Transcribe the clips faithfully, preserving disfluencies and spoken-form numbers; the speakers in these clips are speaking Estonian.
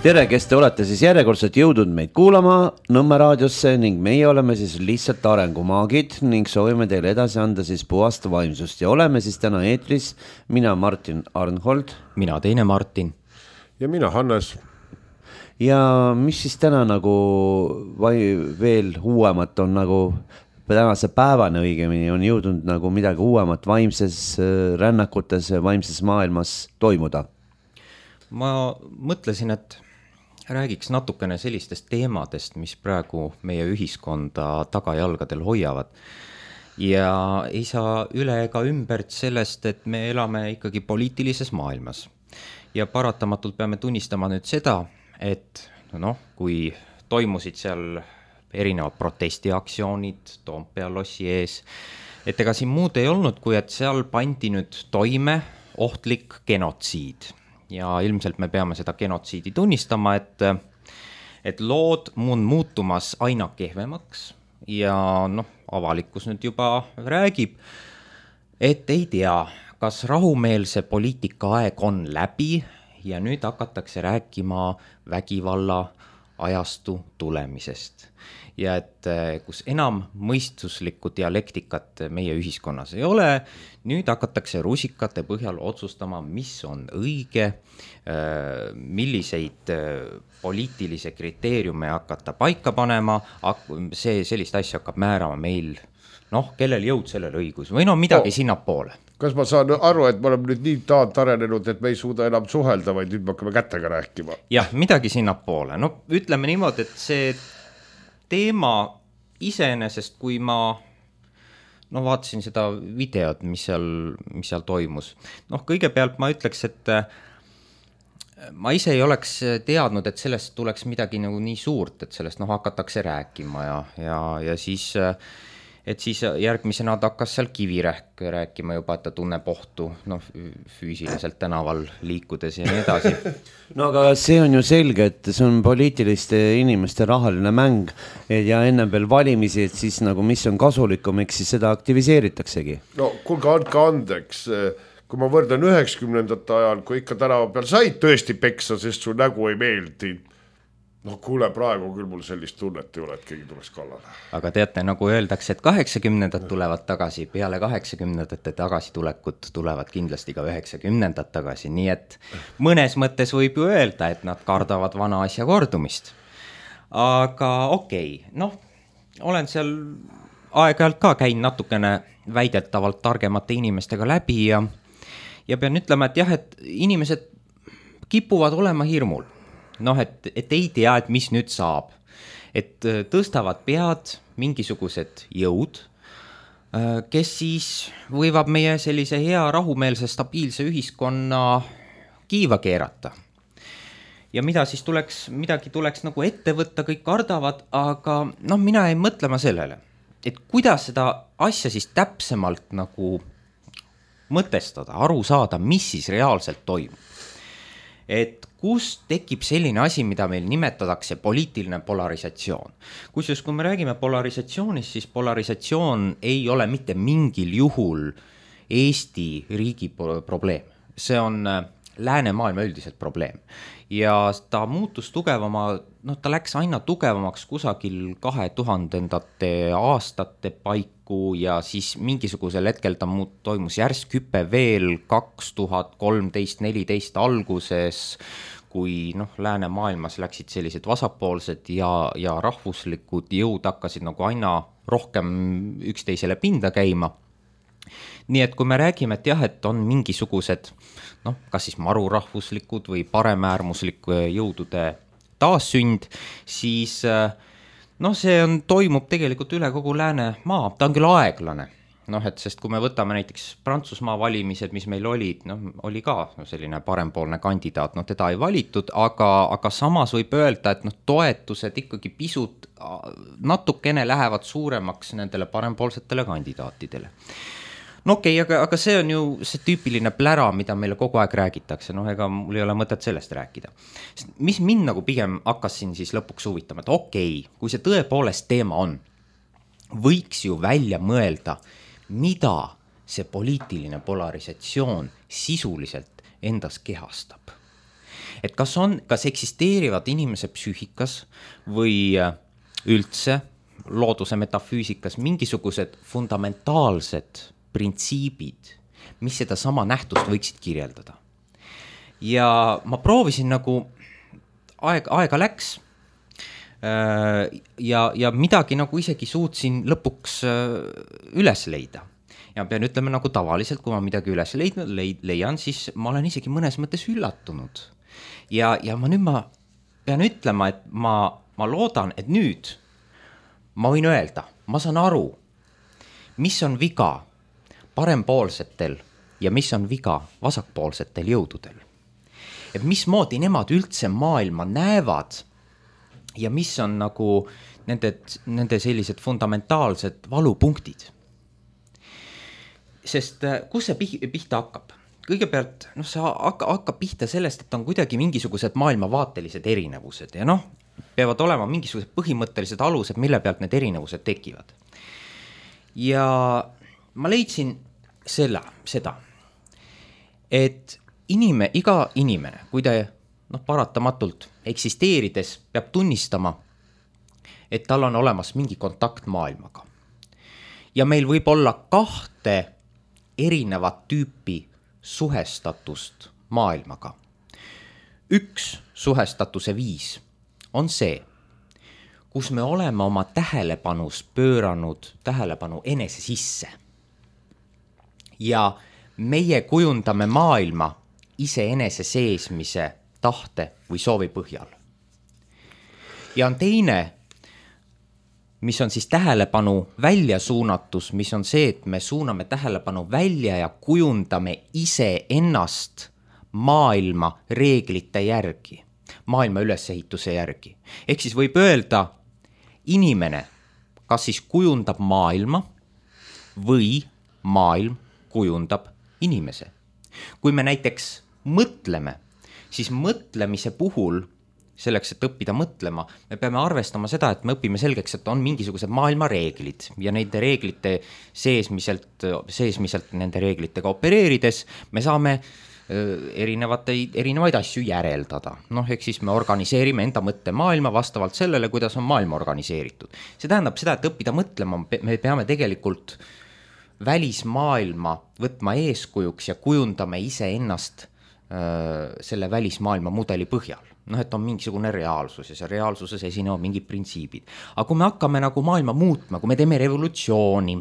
Tere, kes te olete siis järjekordselt jõudnud meid kuulama Nõmme raadiosse ning meie oleme siis lihtsalt arengumaagid ning soovime teile edasi anda siis puhast vaimsust ja oleme siis täna eetris mina Martin Arnhold, mina teine Martin ja mina Hannes. Ja mis siis täna nagu vai, veel uuemat on nagu tänase päevane õigemini on jõudnud nagu midagi uuemat vaimses rännakutes vaimses maailmas toimuda? Ma mõtlesin, et räägiks natukene sellistest teemadest, mis praegu meie ühiskonda tagajalgadel hoiavad. Ja ei saa üle ega ümbert sellest, et me elame ikkagi poliitilises maailmas. Ja paratamatult peame tunnistama nüüd seda, et noh, kui toimusid seal erinevad protestiaktsioonid Toompea lossi ees, et ega siin muud ei olnud, kui et seal pandi nüüd toime ohtlik genotsiid. Ja ilmselt me peame seda genotsiidi tunnistama, et, et lood on muutumas aina kehvemaks ja noh, avalikkus nüüd juba räägib, et ei tea, kas rahumeelse poliitika aeg on läbi ja nüüd hakatakse rääkima vägivalla ajastu tulemisest. Ja et kus enam mõistuslikku dialektikat meie ühiskonnas ei ole, nüüd hakatakse rusikate põhjal otsustama, mis on õige, milliseid poliitilise kriteeriume hakata paika panema, see sellist asja hakkab määrama meil, noh, kellel jõud sellel õigus või no midagi no, sinna poole. Kas ma saan aru, et me oleme nüüd nii taant arenenud, et me ei suuda enam suhelda, vaid nüüd me hakkame kätega rääkima? Jah, midagi sinna poole. No ütleme niimoodi, et see teema iseenesest, kui ma no, vaatasin seda videot, mis seal, mis seal toimus. Noh, kõigepealt ma ütleks, et ma ise ei oleks teadnud, et sellest tuleks midagi nagu nii suurt, et sellest noh, hakatakse rääkima ja, ja, ja siis, et siis järgmisena ta hakkas seal Kivirähk rääkima juba, et ta tunneb ohtu noh, füüsiliselt tänaval liikudes ja nii edasi. No aga see on ju selge, et see on poliitiliste inimeste rahaline mäng ja ennem veel valimisi, et siis nagu mis on kasulikum, eks siis seda aktiviseeritaksegi. No kuulge, andke andeks, kui ma võrdan üheksakümnendate ajal, kui ikka tänava peal said tõesti peksa, sest su nägu ei meeldi. No kuule, praegu küll mul sellist tunnet ei ole, et keegi tuleks kallale. Aga teate, nagu öeldakse, et kaheksakümnendad tulevad tagasi, peale kaheksakümnendate tagasitulekut tulevad kindlasti ka üheksakümnendad tagasi, nii et mõnes mõttes võib ju öelda, et nad kardavad vana asja kordumist. Aga okei, okay, noh, olen seal aeg-ajalt ka käin natukene väidetavalt targemate inimestega läbi ja, ja pean ütlema, et jah, et inimesed kipuvad olema hirmul. Noh, et, et ei tea, et mis nüüd saab. Et tõstavad pead mingisugused jõud, kes siis võivad meie sellise hea rahumeelse stabiilse ühiskonna kiiva keerata. Ja mida siis tuleks, midagi tuleks nagu ette võtta, kõik kardavad, aga noh, mina ei mõtlema sellele, et kuidas seda asja siis täpsemalt nagu mõtestada, aru saada, mis siis reaalselt toimub. Et kus tekib selline asi, mida meil nimetatakse poliitiline polarisatsioon. Kusjuures, kui me räägime polarisatsioonist, siis polarisatsioon ei ole mitte mingil juhul Eesti riigi probleem. See on läänemaailma üldiselt probleem. Ja ta muutus tugevama, noh, ta läks aina tugevamaks kusagil kahe tuhandendate aastate paiku ja siis mingisugusel hetkel ta muut, toimus järsk hüpe veel kaks tuhat kolmteist neliteist alguses, kui noh, läänemaailmas läksid sellised vasakpoolsed ja, ja rahvuslikud jõud hakkasid nagu aina rohkem üksteisele pinda käima. Nii et kui me räägime, et jah, et on mingisugused, noh, kas siis marurahvuslikud või paremäärmusliku jõudude taassünd, siis noh, see on, toimub tegelikult üle kogu lääne maa, ta on küll aeglane. Noh, et sest kui me võtame näiteks Prantsusmaa valimised, mis meil olid, noh, oli ka no, selline parempoolne kandidaat, noh, teda ei valitud, aga, aga samas võib öelda, et noh, toetused ikkagi pisut natukene lähevad suuremaks nendele parempoolsetele kandidaatidele. No okei, okay, aga, aga see on ju see tüüpiline plära, mida meile kogu aeg räägitakse, noh, ega mul ei ole mõtet sellest rääkida. Mis mind nagu pigem hakkasin siis lõpuks huvitama, et okei, okay, kui see tõepoolest teema on, võiks ju välja mõelda, mida see poliitiline polarisatsioon sisuliselt endas kehastab. et kas on, kas eksisteerivad inimese psüühikas või üldse looduse metafüüsikas mingisugused fundamentaalsed printsiibid, mis seda sama nähtust võiksid kirjeldada. Ja ma proovisin nagu, aeg, aega läks ja, ja midagi nagu isegi suutsin lõpuks üles leida. Ja pean ütlema nagu tavaliselt, kui ma midagi üles leidnud, leian, siis ma olen isegi mõnes mõttes üllatunud. Ja, ja ma nüüd ma pean ütlema, et ma, ma loodan, et nüüd ma võin öelda, ma saan aru, mis on viga parempoolsetel ja mis on viga vasakpoolsetel jõududel. Et mismoodi nemad üldse maailma näevad ja mis on nagu nende, nende sellised fundamentaalsed valupunktid. Sest kus see pihta hakkab? Kõigepealt, noh, see hakkab pihta sellest, et on kuidagi mingisugused maailmavaatelised erinevused ja noh, peavad olema mingisugused põhimõttelised alused, mille pealt need erinevused tekivad. Ja ma leidsin selle, seda, et inime, iga inimene, kui ta noh, paratamatult eksisteerides peab tunnistama, et tal on olemas mingi kontakt maailmaga. Ja meil võib olla kahte erinevat tüüpi suhestatust maailmaga. Üks suhestatuse viis on see, kus me oleme oma tähelepanus pööranud tähelepanu enese sisse. Ja meie kujundame maailma ise enese seesmise tahte või soovi põhjal. Ja on teine, mis on siis tähelepanu väljasuunatus, mis on see, et me suuname tähelepanu välja ja kujundame ise ennast maailma reeglite järgi, maailma ülesehituse järgi. Ehk siis võib öelda, inimene kas siis kujundab maailma või maailm kujundab inimese. Kui me näiteks mõtleme, siis mõtlemise puhul selleks, et õppida mõtlema, me peame arvestama seda, et me õpime selgeks, et on mingisugused maailma reeglid ja nende reeglite seesmiselt, seesmiselt nende reeglitega opereerides me saame erinevate, erinevaid asju järeldada. Noh, ehk siis me organiseerime enda mõttemaailma vastavalt sellele, kuidas on maailma organiseeritud. See tähendab seda, et õppida mõtlema, me peame tegelikult välismaailma võtma eeskujuks ja kujundame ise ennast öö, selle välismaailma mudeli põhjal. Noh, et on mingisugune reaalsus ja see reaalsuses esinevad mingid printsiibid. Aga kui me hakkame nagu maailma muutma, kui me teeme revolutsiooni,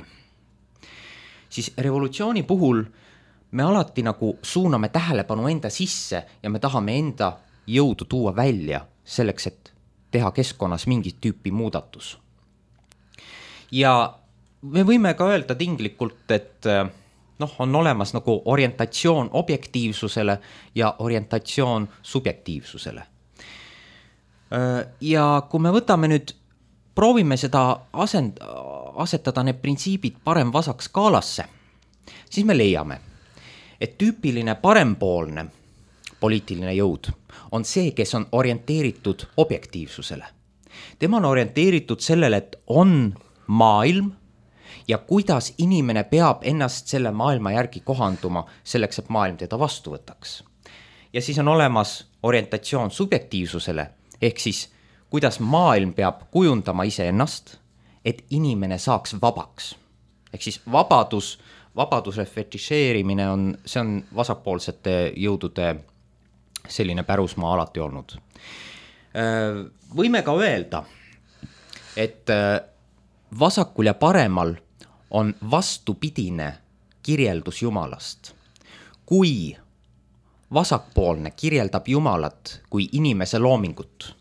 siis revolutsiooni puhul me alati nagu suuname tähelepanu enda sisse ja me tahame enda jõudu tuua välja selleks, et teha keskkonnas mingit tüüpi muudatus. Ja me võime ka öelda tinglikult, et noh, on olemas nagu orientatsioon objektiivsusele ja orientatsioon subjektiivsusele. Ja kui me võtame nüüd, proovime seda asend, asetada need printsiibid parem-vasak skaalasse, siis me leiame, et tüüpiline parempoolne poliitiline jõud on see, kes on orienteeritud objektiivsusele. Tema on orienteeritud sellele, et on maailm ja kuidas inimene peab ennast selle maailma järgi kohanduma selleks, et maailm teda vastu võtaks. Ja siis on olemas orientatsioon subjektiivsusele, ehk siis kuidas maailm peab kujundama ise ennast, et inimene saaks vabaks. Ehk siis vabadus, vabaduse fetišeerimine on, see on vasakpoolsete jõudude selline pärusmaa alati olnud. Võime ka öelda, et vasakul ja paremal on vastupidine kirjeldus Jumalast. Kui vasakpoolne kirjeldab Jumalat kui inimese loomingut,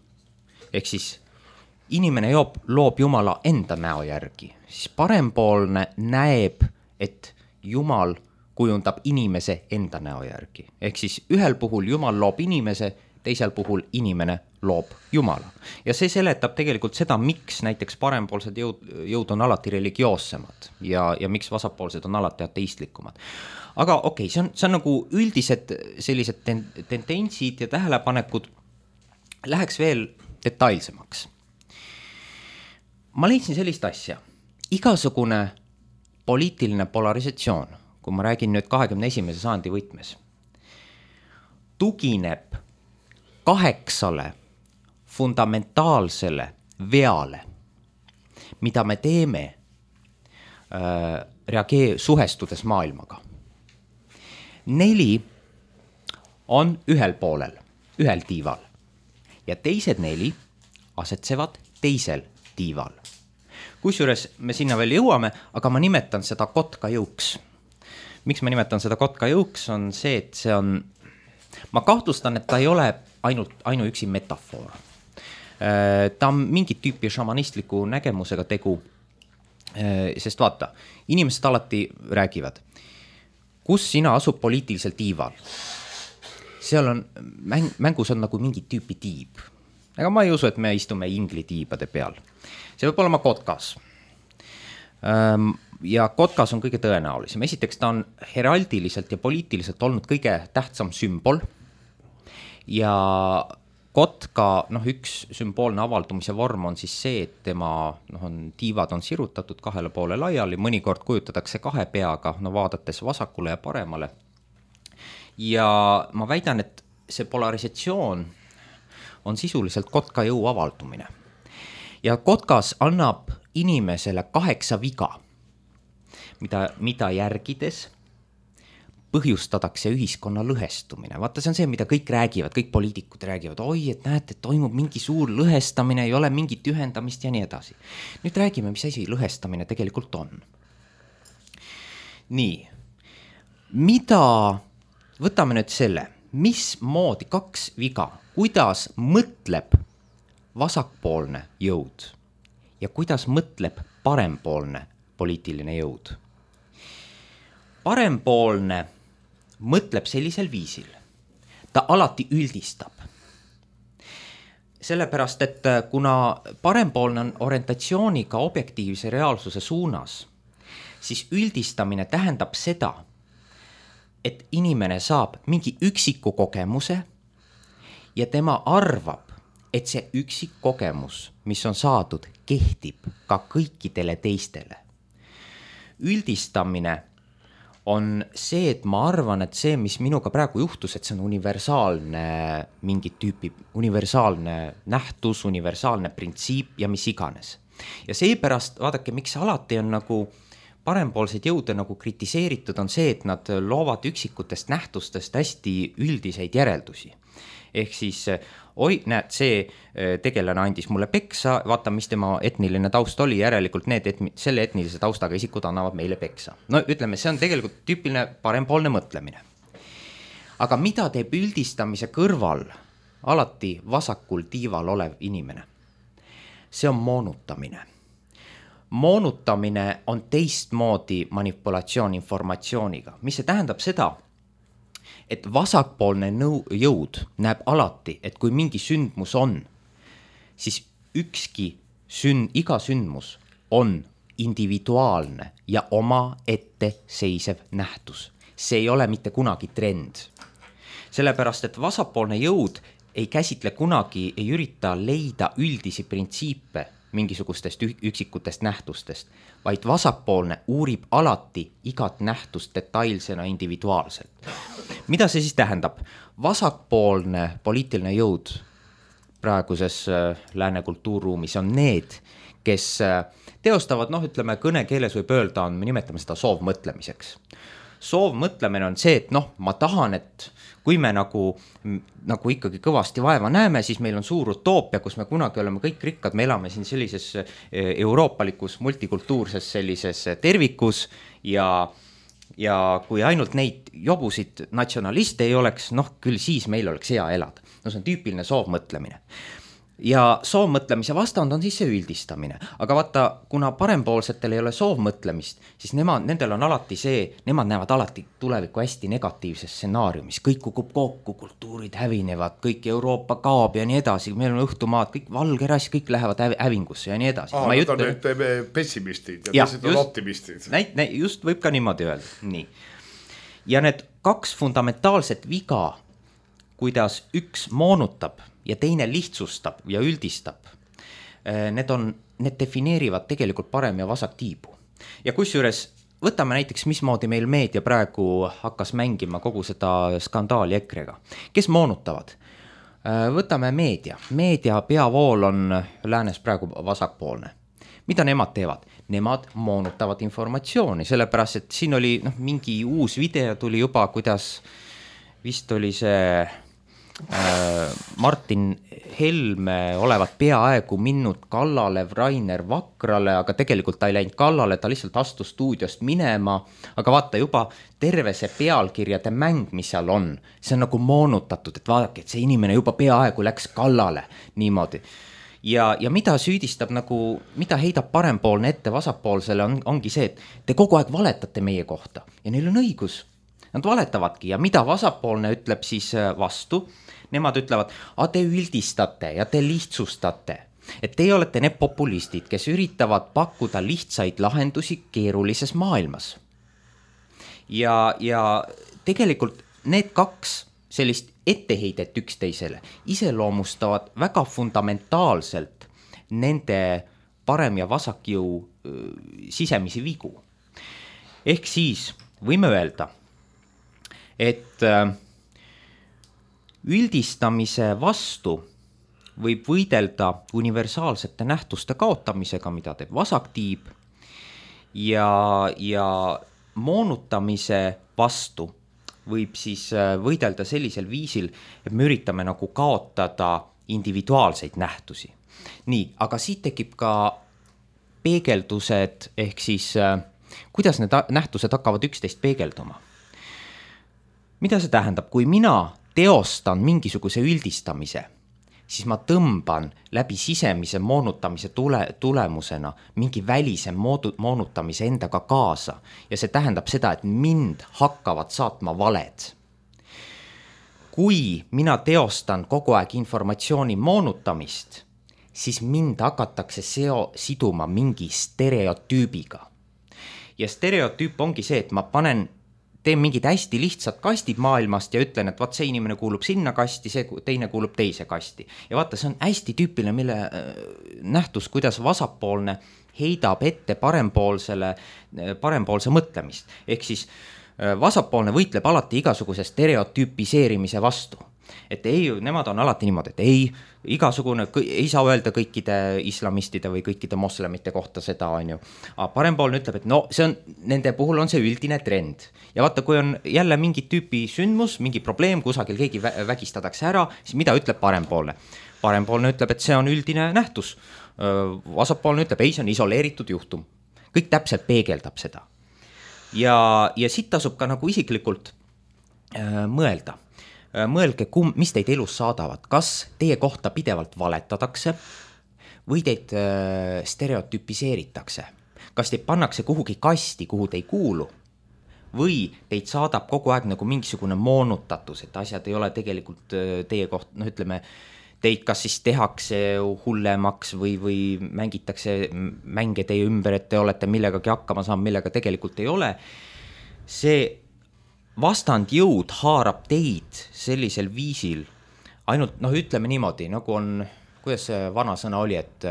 ehk siis inimene joob, loob Jumala enda näo järgi, siis parempoolne näeb, et Jumal kujundab inimese enda näo järgi. Ehk siis ühel puhul Jumal loob inimese, teisel puhul inimene loob Jumala. Ja see seletab tegelikult seda, miks näiteks parempoolsed jõud, jõud on alati religioossemad ja, ja miks vasakpoolsed on alati ateistlikumad. Aga okei, okay, see on, see on nagu üldised sellised ten, tendentsid ja tähelepanekud. Läheks veel detailsemaks. Ma leidsin sellist asja. Igasugune poliitiline polarisatsioon, kui ma räägin nüüd kahekümne esimese sajandi võtmes, tugineb kaheksale fundamentaalsele veale, mida me teeme äh, reagee- suhestudes maailmaga. Neli on ühel poolel, ühel tiival ja teised neli asetsevad teisel tiival. Kusjuures me sinna veel jõuame, aga ma nimetan seda kotkajõuks. Miks ma nimetan seda kotkajõuks on see, et see on, ma kahtlustan, et ta ei ole ainult, ainuüksi metafoor. Ta on mingit tüüpi šamanistliku nägemusega tegu, sest vaata, inimesed alati räägivad, kus sina asub poliitilisel tiival. Seal on, mäng, mängus on nagu mingi tüüpi tiib. Aga ma ei usu, et me istume ingli tiibade peal. See võib olema kotkas. Ja kotkas on kõige tõenäolisem. Esiteks ta on heraldiliselt ja poliitiliselt olnud kõige tähtsam sümbol. Ja kotka, noh, üks sümboolne avaldumise vorm on siis see, et tema noh, on, tiivad on sirutatud kahele poole laiali, mõnikord kujutatakse kahe peaga, no vaadates vasakule ja paremale. Ja ma väidan, et see polarisatsioon on sisuliselt kotka jõu avaldumine. Ja kotkas annab inimesele kaheksa viga, mida, mida järgides põhjustatakse ühiskonna lõhestumine. Vaata, see on see, mida kõik räägivad, kõik poliitikud räägivad, oi, et näete, et toimub mingi suur lõhestamine, ei ole mingit ühendamist ja nii edasi. Nüüd räägime, mis asi lõhestamine tegelikult on. Nii, mida, võtame nüüd selle, mis moodi kaks viga, kuidas mõtleb vasakpoolne jõud ja kuidas mõtleb parempoolne poliitiline jõud. Parempoolne mõtleb sellisel viisil. Ta alati üldistab. Sellepärast, et kuna parempoolne on orientatsiooniga objektiivse reaalsuse suunas, siis üldistamine tähendab seda, et inimene saab mingi üksiku kogemuse ja tema arvab, et see üksik kogemus, mis on saadud, kehtib ka kõikidele teistele. Üldistamine on see, et ma arvan, et see, mis minuga praegu juhtus, et see on universaalne mingit tüüpi, universaalne nähtus, universaalne printsiip ja mis iganes. Ja seepärast, vaadake, miks alati on nagu parempoolseid jõude nagu kritiseeritud, on see, et nad loovad üksikutest nähtustest hästi üldiseid järeldusi. Ehk siis, oi, näed, see tegelane andis mulle peksa, vaata, mis tema etniline taust oli, järelikult need etni, selle etnilise taustaga isikud annavad meile peksa. No ütleme, see on tegelikult tüüpiline parempoolne mõtlemine. Aga mida teeb üldistamise kõrval alati vasakul tiival olev inimene? See on moonutamine. Moonutamine on teistmoodi manipulatsioon informatsiooniga. Mis see tähendab seda? Et vasakpoolne nõu, jõud näeb alati, et kui mingi sündmus on, siis ükski sünd, iga sündmus on individuaalne ja oma ette seisev nähtus. See ei ole mitte kunagi trend. Sellepärast, et vasakpoolne jõud ei käsitle kunagi, ei ürita leida üldisi printsiipe mingisugustest üksikutest nähtustest, vaid vasakpoolne uurib alati igat nähtust detailsena individuaalselt. Mida see siis tähendab? Vasakpoolne poliitiline jõud praeguses lääne kultuurruumis on need, kes teostavad, noh, ütleme, kõnekeeles võib öelda, on, me nimetame seda soovmõtlemiseks. Soovmõtlemine on see, et noh, ma tahan, et kui me nagu, nagu ikkagi kõvasti vaeva näeme, siis meil on suur utoopia, kus me kunagi oleme kõik rikkad, me elame siin sellises euroopalikus, multikultuurses sellises tervikus ja, ja kui ainult neid jobusid natsionaliste ei oleks, noh küll siis meil oleks hea elada. No see on tüüpiline soovmõtlemine. Ja soovmõtlemise vastand on siis see üldistamine. Aga vaata, kuna parempoolsetel ei ole soovmõtlemist, siis nemad, nendel on alati see, nemad näevad alati tulevikku hästi negatiivses stsenaariumis. Kõik kukub kokku, kultuurid hävinevad, kõik Euroopa kaob ja nii edasi. Meil on õhtumaad, kõik valgerass, kõik lähevad hävingusse ja nii edasi. Aa, nad on nüüd pessimistid ja teised on optimistid. Näit, näit, just võib ka niimoodi öelda. Nii. Ja need kaks fundamentaalset viga, kuidas üks moonutab ja teine lihtsustab ja üldistab, need, on, need defineerivad tegelikult parem ja vasak tiibu. Ja kusjuures võtame näiteks, mismoodi meil meedia praegu hakkas mängima kogu seda skandaali ekrega. Kes moonutavad? Võtame meedia. Meedia peavool on läänes praegu vasakpoolne. Mida nemad teevad? Nemad moonutavad informatsiooni, sellepärast, et siin oli noh, mingi uus video tuli juba, kuidas vist oli see äh, Martin Helme olevat peaaegu minnud kallale Rainer Vakrale, aga tegelikult ta ei läinud kallale, ta lihtsalt astus stuudiost minema, aga vaata juba terve see pealkirjade mäng, mis seal on, see on nagu moonutatud, et vaadake, et see inimene juba peaaegu läks kallale niimoodi. Ja, ja mida süüdistab nagu, mida heidab parempoolne ette vasakpoolsele on, ongi see, et te kogu aeg valetate meie kohta ja neil on õigus. Nad valetavadki ja mida vasakpoolne ütleb siis vastu, nemad ütlevad, a te üldistate ja te lihtsustate, et teie olete need populistid, kes üritavad pakkuda lihtsaid lahendusi keerulises maailmas. Ja, ja tegelikult need kaks sellist etteheidet üksteisele iseloomustavad väga fundamentaalselt nende parem- ja vasakjõu sisemisi vigu. Ehk siis võime öelda, et üldistamise vastu võib võidelda universaalsete nähtuste kaotamisega, mida teeb vasaktiib, ja, ja moonutamise vastu võib siis võidelda sellisel viisil, et me üritame nagu kaotada individuaalseid nähtusi. Nii, aga siit tekib ka peegeldused, ehk siis kuidas need nähtused hakkavad üksteist peegelduma. Mida see tähendab? Kui mina teostan mingisuguse üldistamise, siis ma tõmban läbi sisemise moonutamise tule, tulemusena mingi välise moodu, moonutamise endaga kaasa. Ja see tähendab seda, et mind hakkavad saatma valed. Kui mina teostan kogu aeg informatsiooni moonutamist, siis mind hakatakse seo, siduma mingi stereotüübiga. Ja stereotüüp ongi see, et ma panen teen mingid hästi lihtsad kastid maailmast ja ütlen, et vaat see inimene kuulub sinna kasti, see teine kuulub teise kasti. Ja vaata, see on hästi tüüpiline, mille nähtus, kuidas vasakpoolne heidab ette parempoolsele, parempoolse mõtlemist. Ehk siis vasakpoolne võitleb alati igasuguse stereotüüpiseerimise vastu. Et ei, nemad on alati niimoodi, et ei, igasugune, ei saa öelda kõikide islamistide või kõikide moslemite kohta seda, on ju. Aga parempoolne ütleb, et no see on, nende puhul on see üldine trend. Ja vaata, kui on jälle mingi tüüpi sündmus, mingi probleem, kusagil keegi vägistatakse ära, siis mida ütleb parempoolne? Parempoolne ütleb, et see on üldine nähtus. Vasakpoolne ütleb, ei, see on isoleeritud juhtum. Kõik täpselt peegeldab seda. Ja, ja siit tasub ka nagu isiklikult äh, mõelda. Mõelge, kum, mis teid elus saadavad, kas teie kohta pidevalt valetadatakse või teid stereotüpiseeritakse. Kas teid pannakse kuhugi kasti, kuhu te ei kuulu või teid saadab kogu aeg nagu mingisugune moonutatus, et asjad ei ole tegelikult teie koht, noh ütleme, teid kas siis tehakse hullemaks või, või mängitakse mänge teie ümber, et te olete millegagi hakkama saanud, millega tegelikult ei ole. See vastandjõud haarab teid sellisel viisil ainult, noh ütleme niimoodi, nagu on, kuidas see vana sõna oli, et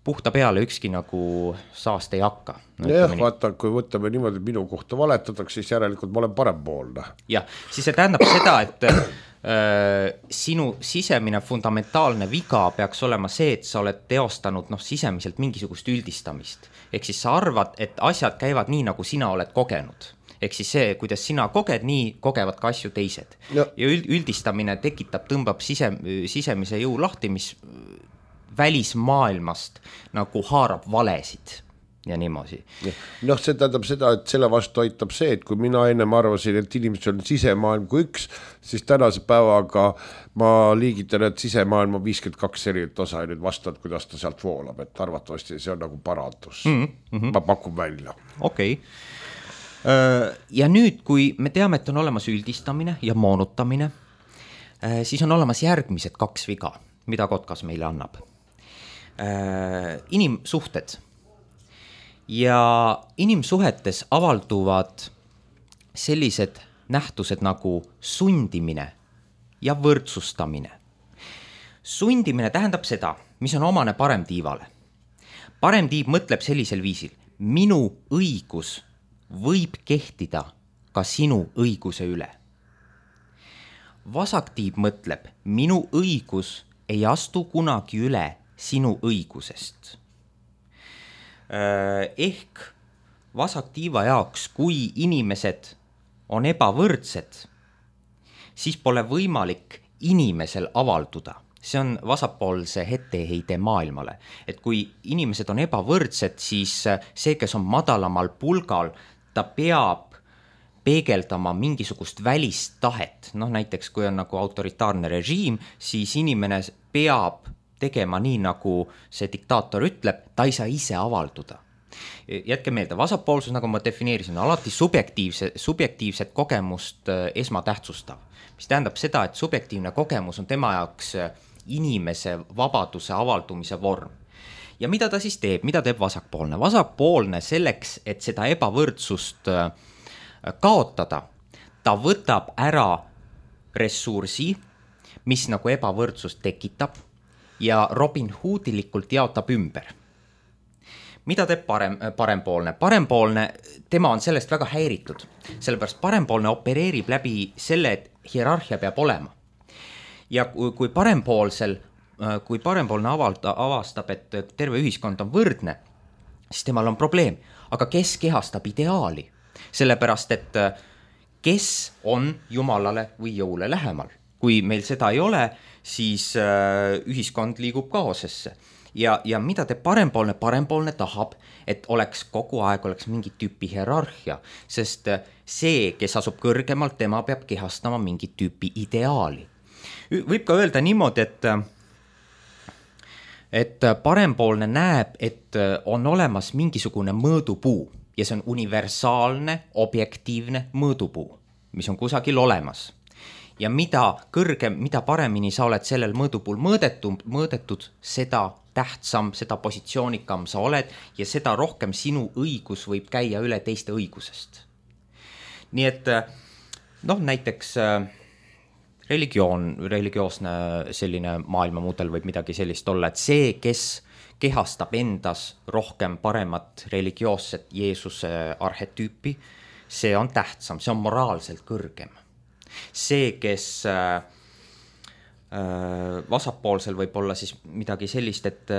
puhta peale ükski nagu saast ei hakka. No, jah, vaata, kui võtame niimoodi, minu kohta valetatakse, siis järelikult ma olen parempoolne. Jah, siis see tähendab seda, et äh, sinu sisemine fundamentaalne viga peaks olema see, et sa oled teostanud noh, sisemiselt mingisugust üldistamist. Ehk siis sa arvad, et asjad käivad nii, nagu sina oled kogenud. Ehk siis see, kuidas sina koged, nii kogevad ka asju teised. Ja, ja üldistamine tekitab, tõmbab sise, sisemise jõu lahti, mis välismaailmast nagu haarab valesid ja niimoodi. Noh, see tähendab seda, et selle vastu aitab see, et kui mina ennem arvasin, et inimesed on sisemaailm kui üks, siis tänase päevaga ma liigitan, et sisemaailm on viiskümmend kaks erinevat osa ja nüüd vastavad, kuidas ta sealt voolab, et arvatavasti see on nagu parandus. Mm -hmm. Ma pakun välja. Okei. Okay. Ja nüüd, kui me teame, et on olemas üldistamine ja moonutamine, siis on olemas järgmised kaks viga, mida Kotkas meile annab. Inimsuhted. Ja inimsuhetes avalduvad sellised nähtused nagu sundimine ja võrdsustamine. Sundimine tähendab seda, mis on omane paremtiivale. Paremtiiv mõtleb sellisel viisil, minu õigus võib kehtida ka sinu õiguse üle. vasaktiib mõtleb, minu õigus ei astu kunagi üle sinu õigusest. Ehk vasaktiiva jaoks, kui inimesed on ebavõrdsed, siis pole võimalik inimesel avalduda. See on vasakpoolse etteheide maailmale. Et kui inimesed on ebavõrdsed, siis see, kes on madalamal pulgal, ta peab peegeldama mingisugust välist tahet. Noh, näiteks kui on nagu autoritaarne režiim, siis inimene peab tegema nii, nagu see diktaator ütleb, ta ei saa ise avalduda. Jätke meelde, vasakpoolsus, nagu ma defineerisin, alati subjektiivse, subjektiivset kogemust esmatähtsustav. Mis tähendab seda, et subjektiivne kogemus on tema jaoks inimese vabaduse avaldumise vorm. Ja mida ta siis teeb? Mida teeb vasakpoolne? Vasakpoolne selleks, et seda ebavõrdsust kaotada, ta võtab ära ressursi, mis nagu ebavõrdsust tekitab ja Robin Hoodilikult jaotab ümber. Mida teeb parem, parempoolne? Parempoolne, tema on sellest väga häiritud, sellepärast parempoolne opereerib läbi selle, et hierarhia peab olema. Ja kui parempoolsel, kui parempoolne avalda, avastab, et terve ühiskond on võrdne, siis temal on probleem. Aga kes kehastab ideaali? Sellepärast, et kes on Jumalale või jõule lähemal? Kui meil seda ei ole, siis ühiskond liigub kaosesse. Ja, ja mida te parempoolne? Parempoolne tahab, et oleks kogu aeg oleks mingi tüüpi hierarhia, sest see, kes asub kõrgemalt, tema peab kehastama mingi tüüpi ideaali. Võib ka öelda niimoodi, et, et parempoolne näeb, et on olemas mingisugune mõõdupuu ja see on universaalne, objektiivne mõõdupuu, mis on kusagil olemas. Ja mida kõrgem, mida paremini sa oled sellel mõõdupuul mõõdetud, mõõdetud, seda tähtsam, seda positsioonikam sa oled ja seda rohkem sinu õigus võib käia üle teiste õigusest. Nii et noh, näiteks religioon, religioosne selline maailmamudel võib midagi sellist olla, et see, kes kehastab endas rohkem paremat religioosset Jeesuse arhetüüpi, see on tähtsam, see on moraalselt kõrgem. See, kes äh, vasakpoolsel võib olla siis midagi sellist, et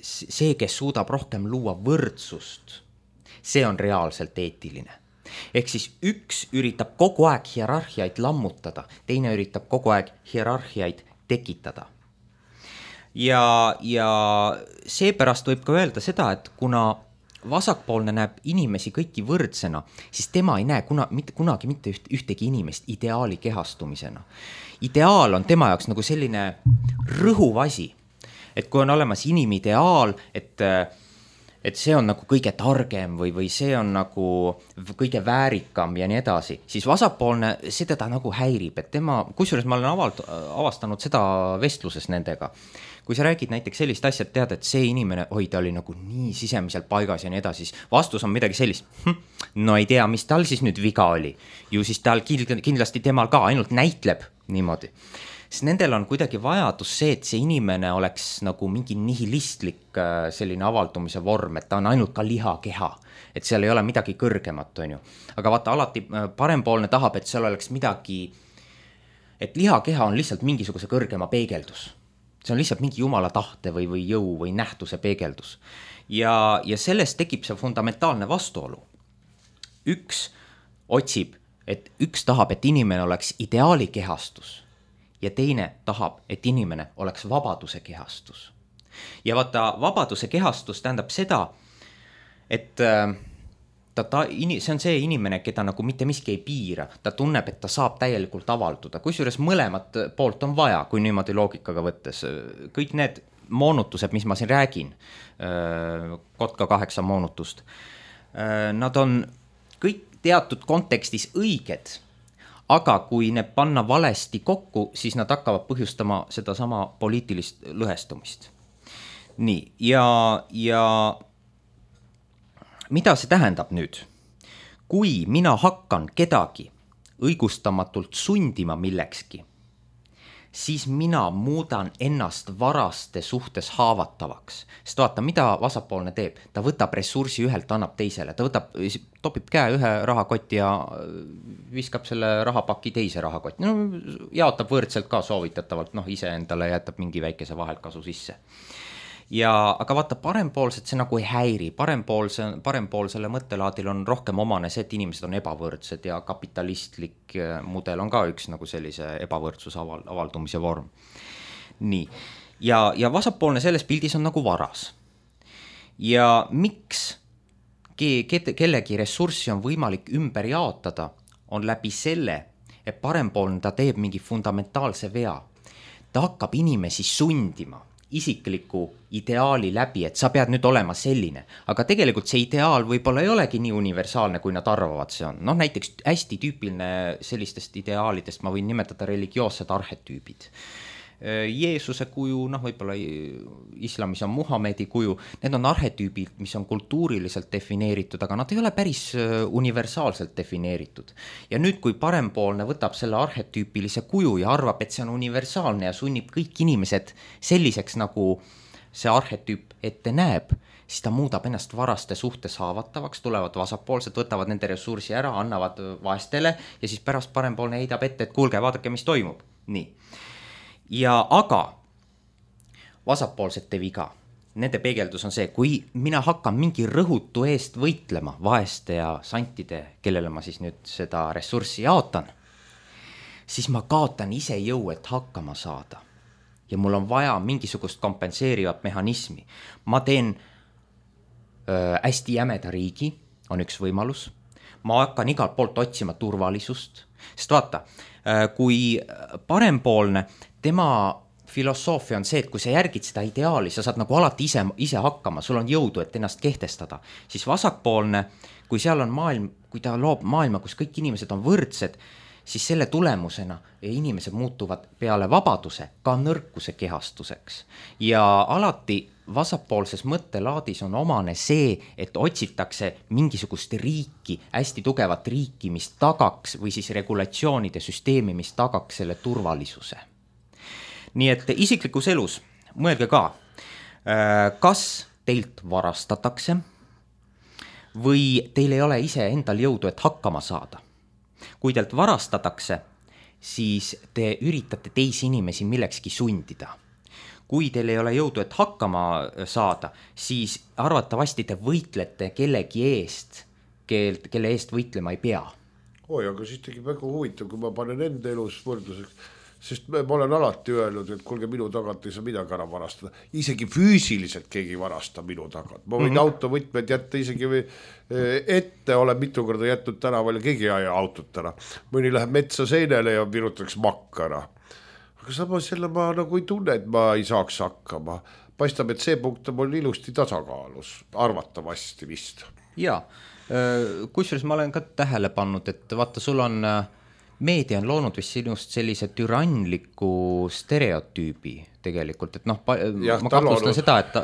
see, kes suudab rohkem luua võrdsust, see on reaalselt eetiline. Ehk siis üks üritab kogu aeg hierarhiaid lammutada, teine üritab kogu aeg hierarhiaid tekitada. Ja, ja seepärast võib ka öelda seda, et kuna vasakpoolne näeb inimesi kõiki võrdsena, siis tema ei näe kuna, mitte, kunagi mitte üht, ühtegi inimest ideaali kehastumisena. Ideaal on tema jaoks nagu selline rõhuv asi, et kui on olemas inimideaal, et et see on nagu kõige targem või, või see on nagu kõige väärikam ja nii edasi, siis vasakpoolne see teda nagu häirib, et tema, kusjuures ma olen avald, avastanud seda vestluses nendega. Kui sa räägid näiteks sellist asja, et tead, et see inimene, oi, ta oli nagu nii sisemiselt paigas ja nii edasi, siis vastus on midagi sellist, hm, no ei tea, mis tal siis nüüd viga oli. Ju siis tal kindlasti temal ka ainult näitleb niimoodi. Siis nendel on kuidagi vajadus see, et see inimene oleks nagu mingi nihilistlik selline avaldumise vorm, et ta on ainult ka lihakeha, et seal ei ole midagi kõrgemat, on ju. Aga vaata, alati parempoolne tahab, et seal oleks midagi, et lihakeha on lihtsalt mingisuguse kõrgema peegeldus. See on lihtsalt mingi jumala tahte või, või jõu või nähtuse peegeldus. Ja, ja sellest tekib see fundamentaalne vastuolu. Üks otsib, et üks tahab, et inimene oleks ideaali kehastus. Ja teine tahab, et inimene oleks vabaduse kehastus. Ja vaata, vabaduse kehastus tähendab seda, et ta, ta, see on see inimene, keda nagu mitte miski ei piira. Ta tunneb, et ta saab täielikult avalduda. Kusjuures mõlemat poolt on vaja, kui niimoodi loogikaga võttes. Kõik need moonutused, mis ma siin räägin, Kotka kaheksa moonutust, nad on kõik teatud kontekstis õiged, aga kui ne panna valesti kokku, siis nad hakkavad põhjustama seda sama poliitilist lõhestumist. Nii, ja, ja mida see tähendab nüüd? Kui mina hakkan kedagi õigustamatult sundima millekski, siis mina muudan ennast varaste suhtes haavatavaks. Sest vaata, mida vasakpoolne teeb? Ta võtab ressursi ühelt, annab teisele. Ta võtab, topib käe ühe rahakotti ja viskab selle rahapaki teise rahakotti. No, jaotab võrdselt ka soovitatavalt, noh, ise endale jätab mingi väikese vaheltkasu sisse. Ja, aga vaata, parempoolset see nagu ei häiri. Parempoolse, parempoolsele mõttelaadil on rohkem omane see, et inimesed on ebavõrdsed ja kapitalistlik mudel on ka üks nagu sellise ebavõrdsuse aval, avaldumise vorm. Nii. Ja, ja vasakpoolne selles pildis on nagu varas. Ja miks ke, ke, kellegi ressurssi on võimalik ümber jaotada, on läbi selle, et parempoolne ta teeb mingi fundamentaalse vea. Ta hakkab inimesi sundima isikliku ideaali läbi, et sa pead nüüd olema selline, aga tegelikult see ideaal võib-olla ei olegi nii universaalne, kui nad arvavad see on. Noh, näiteks hästi tüüpiline sellistest ideaalidest ma võin nimetada religioossed arhetüübid. Jeesuse kuju, noh, võib-olla islamis on Muhamedi kuju, need on arhetüübid, mis on kultuuriliselt defineeritud, aga nad ei ole päris universaalselt defineeritud. Ja nüüd, kui parempoolne võtab selle arhetüüpilise kuju ja arvab, et see on universaalne ja sunnib kõik inimesed selliseks, nagu see arhetüüp ette näeb, siis ta muudab ennast varaste suhtes haavatavaks, tulevad vasakpoolsed, võtavad nende ressursi ära, annavad vaestele ja siis pärast parempoolne heidab ette, et kuulge, vaadake, mis toimub. Nii. Ja aga vasakpoolsete viga, nende peegeldus on see, kui mina hakkan mingi rõhutu eest võitlema vaeste ja santide, kellele ma siis nüüd seda ressurssi jaotan, siis ma kaotan ise jõu, et hakkama saada. Ja mul on vaja mingisugust kompenseerivat mehhanismi. Ma teen öö, hästi jämeda riigi, on üks võimalus. Ma hakkan igalt poolt otsima turvalisust, sest vaata, kui parempoolne, tema filosoofia on see, et kui sa järgid seda ideaali, sa saad nagu alati ise, ise hakkama, sul on jõudu, et ennast kehtestada, siis vasakpoolne, kui seal on maailm, kui ta loob maailma, kus kõik inimesed on võrdsed, siis selle tulemusena inimesed muutuvad peale vabaduse ka nõrkuse kehastuseks. Ja alati vasakpoolses mõttelaadis on omane see, et otsitakse mingisugust riiki, hästi tugevat riiki, mis tagaks, või siis regulatsioonide süsteemi, mis tagaks selle turvalisuse. Nii et isiklikus elus, mõelge ka, kas teilt varastatakse või teil ei ole ise endal jõudu, et hakkama saada. Kui teilt varastatakse, siis te üritate teisi inimesi millekski sundida. Kui teil ei ole jõudu, et hakkama saada, siis arvatavasti te võitlete kellegi eest, kelle eest võitlema ei pea. Oi, aga siis tegi väga huvitav, kui ma panen enda elus võrdluseks, sest ma olen alati öelnud, et kuulge, minu tagant ei saa midagi ära varastada. Isegi füüsiliselt keegi varasta minu tagant. Ma võin mm-hmm. autovõtmed jätta isegi ette, olen mitu korda jätnud tänaval ja keegi ei aja autot ära. Mõni läheb metsa seinele ja virutaks makkara. Aga samas jälle ma nagu ei tunne, et ma ei saaks hakkama. Paistab, et see punkt on mul ilusti tasakaalus. Arvatavasti vist. Jaa, kusjuures ma olen ka tähele pannud, et vaata, sul on... meedia on loonud vist sinust sellise türannliku stereotüübi tegelikult, et noh, ja, ma kahtlustan seda, et ta,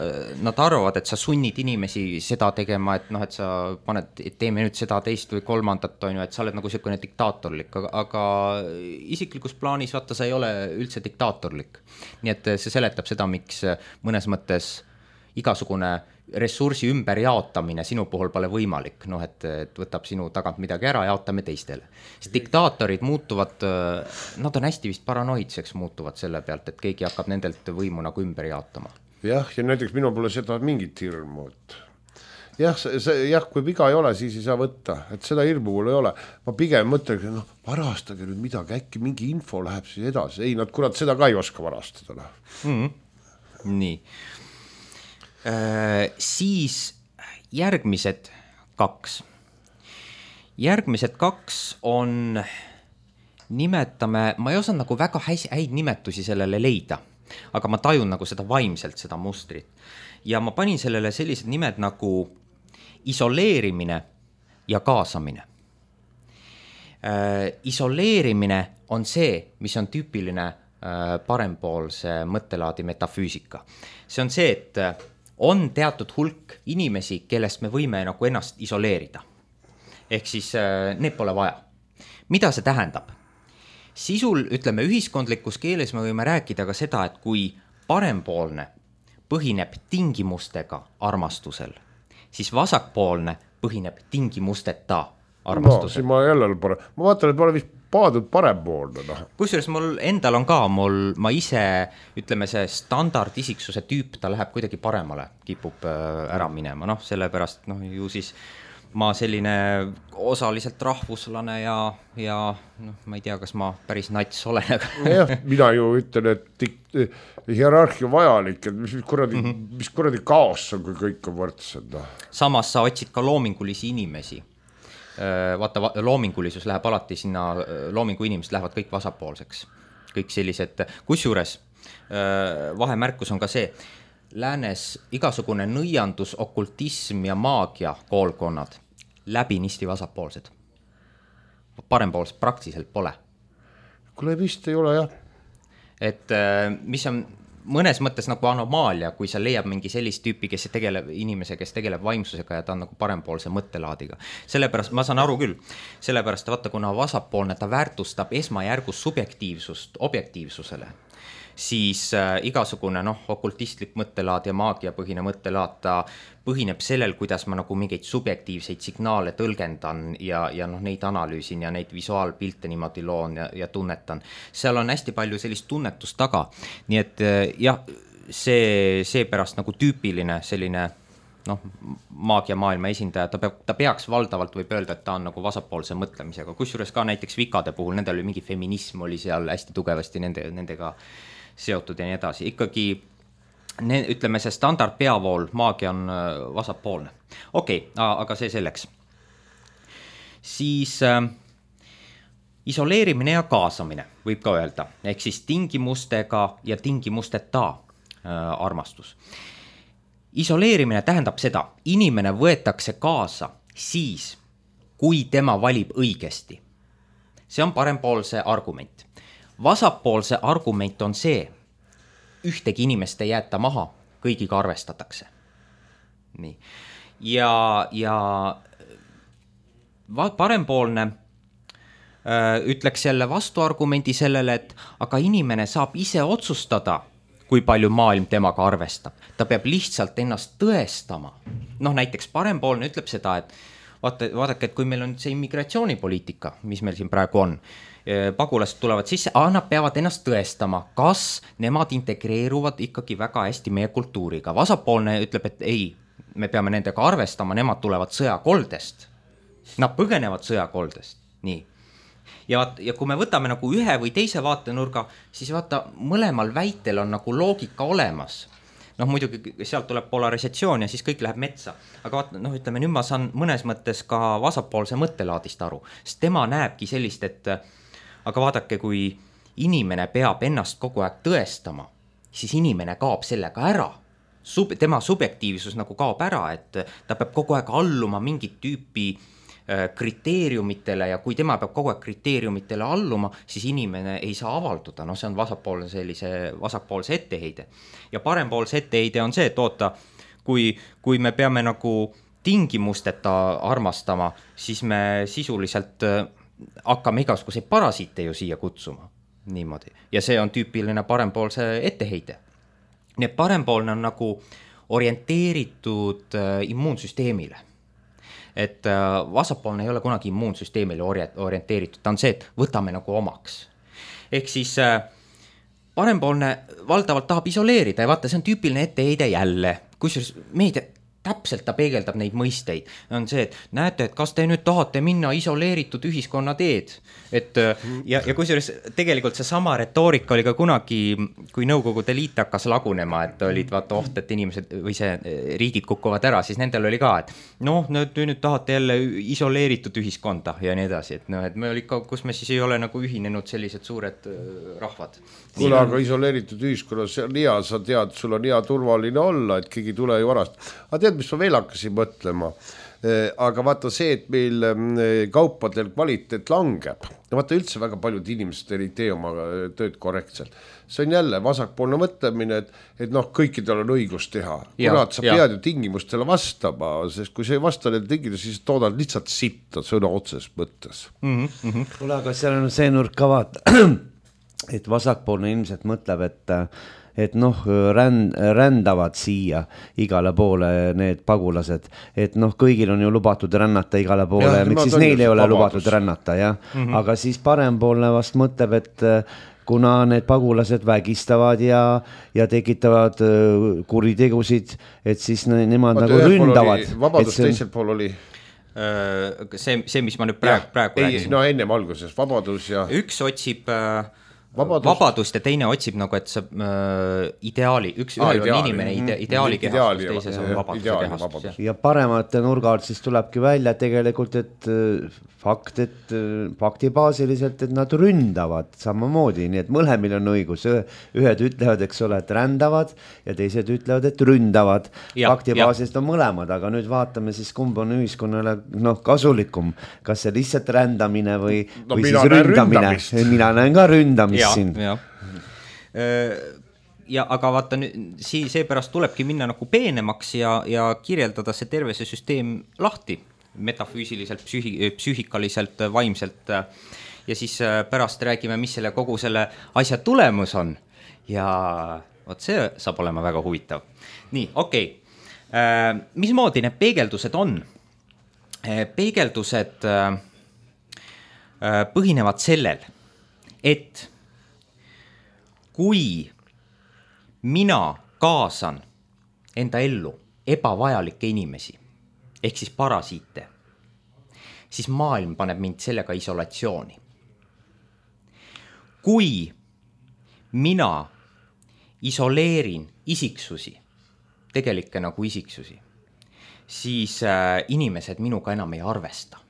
nad arvavad, et sa sunnid inimesi seda tegema, et noh, et sa paned, et teeme nüüd seda teist või kolmandat, on ju, et sa oled nagu selline diktaatorlik, aga, aga isiklikus plaanis vaata, sa ei ole üldse diktaatorlik. Nii et see seletab seda, miks mõnes mõttes igasugune ressursi ümber jaotamine sinu puhul pole võimalik, noh, et, et võtab sinu tagant midagi ära, jaotame teistele. Sest diktaatorid muutuvad, nad on hästi vist paranoidseks muutuvad selle pealt, et keegi hakkab nendelt võimu nagu ümber jaotama. Jah, ja näiteks minu pole seda mingit hirmu, et jah, see, jah, kui viga ei ole, siis ei saa võtta, et seda hirmu mul ei ole. Ma pigem mõtlen, et noh, varastage nüüd midagi, äkki mingi info läheb siis edasi. Ei, nad kurat seda ka ei oska varastada. Mm-hmm. Nii. Äh, siis järgmised kaks. Järgmised kaks on, nimetame, ma ei osanud nagu väga häid nimetusi sellele leida, aga ma tajun nagu seda vaimselt, seda mustrit. Ja ma panin sellele sellised nimed nagu isoleerimine ja kaasamine. Äh, isoleerimine on see, mis on tüüpiline äh, parempoolse mõttelaadi metafüüsika. See on see, et on teatud hulk inimesi, kellest me võime nagu ennast isoleerida. Ehk siis need pole vaja. Mida see tähendab? sisul, ütleme, ühiskondlikus keeles me võime rääkida ka seda, et kui parempoolne põhineb tingimustega armastusel, siis vasakpoolne põhineb tingimusteta armastusel. No, ma jälle parem. Ma vaatan, et ma olen vist paadud parempoolne. No. Kusjuures mul endal on ka, mul, ma ise, ütleme, see standardisiksuse tüüp, ta läheb kuidagi paremale, kipub ära minema. Noh, sellepärast, noh, ju siis ma selline osaliselt rahvuslane ja, ja noh, ma ei tea, kas ma päris nats olen. Aga... jah, mina ju ütlen, et hierarhia vajalik, et mis kuradi, mm -hmm. mis kuradi kaos on, kui kõik on võrdsed. No. Samas sa otsid ka loomingulisi inimesi. Vaata, loomingulisus läheb alati sinna, loomingu inimesed lähevad kõik vasakpoolseks. Kõik sellised, kusjuures vahemärkus on ka see, läänes igasugune nõiandus, okultism ja maagia koolkonnad läbinisti vasakpoolsed. Parempoolsed praktiliselt pole. Kuule, vist ei ole, jah. Et mis on mõnes mõttes nagu anomaalia, kui sa leiab mingi sellist tüüpi, kes tegeleb, inimese, kes tegeleb vaimsusega ja ta on nagu parempoolse mõttelaadiga. Sellepärast, ma saan aru küll, sellepärast vaata, kuna vasakpoolne, ta väärtustab esmajärgus subjektiivsust objektiivsusele, siis äh, igasugune noh, okultistlik mõttelaad ja maagiapõhine mõttelaad, ta põhineb sellel, kuidas ma nagu mingeid subjektiivseid signaale tõlgendan ja, ja noh, neid analüüsin ja neid visuaalpilte niimoodi loon ja, ja tunnetan. Seal on hästi palju sellist tunnetust taga. Nii et jah, see, seepärast nagu tüüpiline selline noh, maagia maailma esindaja, ta, peab, ta peaks valdavalt võib öelda, et ta on nagu vasakpoolse mõtlemisega. Kusjuures ka näiteks vikade puhul, nendel oli mingi feminism oli seal hästi tugevasti nende, nendega seotud ja nii edasi. Ikkagi ne, ütleme, see standard peavool maagia on vasakpoolne. Okei, okay, aga see selleks. Siis äh, isoleerimine ja kaasamine võib ka öelda, ehk siis tingimustega ja tingimusteta äh, armastus. Isoleerimine tähendab seda, inimene võetakse kaasa siis, kui tema valib õigesti. See on parempoolse argument. Vasakpoolse argument on see, ühtegi inimest ei jäeta maha, kõigiga arvestatakse. Nii. Ja, ja parempoolne öö, ütleks jälle vastuargumendi sellele, et aga inimene saab ise otsustada, kui palju maailm temaga arvestab. Ta peab lihtsalt ennast tõestama. Noh, näiteks parempoolne ütleb seda, et vaata, vaadake, et kui meil on see immigratsioonipoliitika, mis meil siin praegu on, pagulased tulevad sisse, aga nad peavad ennast tõestama, kas nemad integreeruvad ikkagi väga hästi meie kultuuriga. Vasakpoolne ütleb, et ei, me peame nendega arvestama, nemad tulevad sõjakoldest. Nad põgenevad sõjakoldest. Nii. Ja, ja kui me võtame nagu ühe või teise vaatenurga, siis vaata, mõlemal väitel on nagu loogika olemas. Noh, muidugi sealt tuleb polarisatsioon ja siis kõik läheb metsa. Aga vaata, noh, ütleme, nüüd ma saan mõnes mõttes ka vasakpoolse mõttelaadist aru. Sest tema näebki sellist, et aga vaadake, kui inimene peab ennast kogu aeg tõestama, siis inimene kaob sellega ära. Sub, tema subjektiivsus nagu kaob ära, et ta peab kogu aeg alluma mingit tüüpi kriteeriumitele ja kui tema peab kogu aeg kriteeriumitele alluma, siis inimene ei saa avalduda. No see on vasakpoolse, sellise, vasakpoolse etteheide. Ja parempoolse etteheide on see, et oota, kui, kui me peame nagu tingimusteta armastama, siis me sisuliselt hakkame igasuguseid parasiite ju siia kutsuma. Niimoodi. Ja see on tüüpiline parempoolse etteheide. Nii parempoolne on nagu orienteeritud immuunsüsteemile. Et vasakpoolne ei ole kunagi immuunsüsteemile orienteeritud, ta on see, et võtame nagu omaks. Ehk siis parempoolne valdavalt tahab isoleerida ja vaata, see on tüüpiline etteheide jälle, kusjuures meedia täpselt ta peegeldab neid mõisteid. On see, et näete, et kas te nüüd tahate minna isoleeritud ühiskonna teed. Et, ja, ja kusjuures tegelikult see sama retoorika oli ka kunagi, kui Nõukogude Liit hakkas lagunema, et olid vaata oht, et inimesed või see riigid kukuvad ära, siis nendel oli ka, et noh, nüüd, nüüd tahate jälle isoleeritud ühiskonda ja nii edasi. Et, no, et me oli ka, kus me siis ei ole nagu ühinenud sellised suured rahvad. Kuule, aga isoleeritud ühiskonnas on hea, sa tead, sul on hea turvaline olla, et keegi tule ju varast. Aga tead, mis ma veel hakkasin mõtlema? aga vaata see, et meil kaupadel kvaliteet langeb, vaata üldse väga paljud inimesed ei tee oma tööd korrektselt. See on jälle vasakpoolne mõtlemine, et, et noh, kõikidel on õigus teha. Kuna sa ja. pead ju tingimustele vastama, sest kui sa ei vasta neile tingimustele, siis toodad lihtsalt sitta sõna otses mõttes. Mm-hmm. Kule, aga seal on see nurk ka vaata, et vasakpoolne ilmselt mõtleb, et et noh, ränd, rändavad siia igale poole need pagulased, et noh, kõigil on ju lubatud rännata igale poole, ja, miks siis neil ei ole vabadus. Lubatud rännata, jah. Mm-hmm. Aga siis parempoolne vast mõtleb, et kuna need pagulased vägistavad ja, ja tekitavad kuritegusid, et siis nemad Vaat nagu ründavad. Vabadus see... teisel pool oli? See, see, mis ma nüüd praegu, praegu ei, räägin. No ennem alguses, vabadus ja... Üks otsib... Vabadust. vabadust ja teine otsib nagu, et see äh, ideaali, üks ah, ühel ideaali. On inimene ide, ideaali kehastus, teises on vabaduse kehastus. Ja. ja paremate nurga alt siis tulebki välja tegelikult, et fakt, et faktibaasiliselt, et nad ründavad samamoodi, nii et mõlemil on õigus. Ühed ütlevad, eks ole, et rändavad ja teised ütlevad, et ründavad. Faktibaasiliselt on mõlemad, aga nüüd vaatame siis, kumb on ühiskonnale noh, kasulikum. Kas see lihtsalt rändamine või, no, või siis ründamine. Mina näen ka ründamist. Ja, ja. ja aga vaata nüüd, seepärast tulebki minna nagu peenemaks ja, ja kirjeldada see terve see süsteem lahti metafüüsiliselt, psühi, psüühikaliselt, vaimselt ja siis pärast räägime, mis selle kogu selle asja tulemus on ja vot see saab olema väga huvitav. Nii, okei okay. Mismoodi need peegeldused on? Peegeldused põhinevad sellel, et kui mina kaasan enda ellu ebavajalikke inimesi, ehk siis parasiite, siis maailm paneb mind sellega isolatsiooni. Kui mina isoleerin isiksusi, tegelikke nagu isiksusi, siis äh, inimesed minuga enam ei arvesta.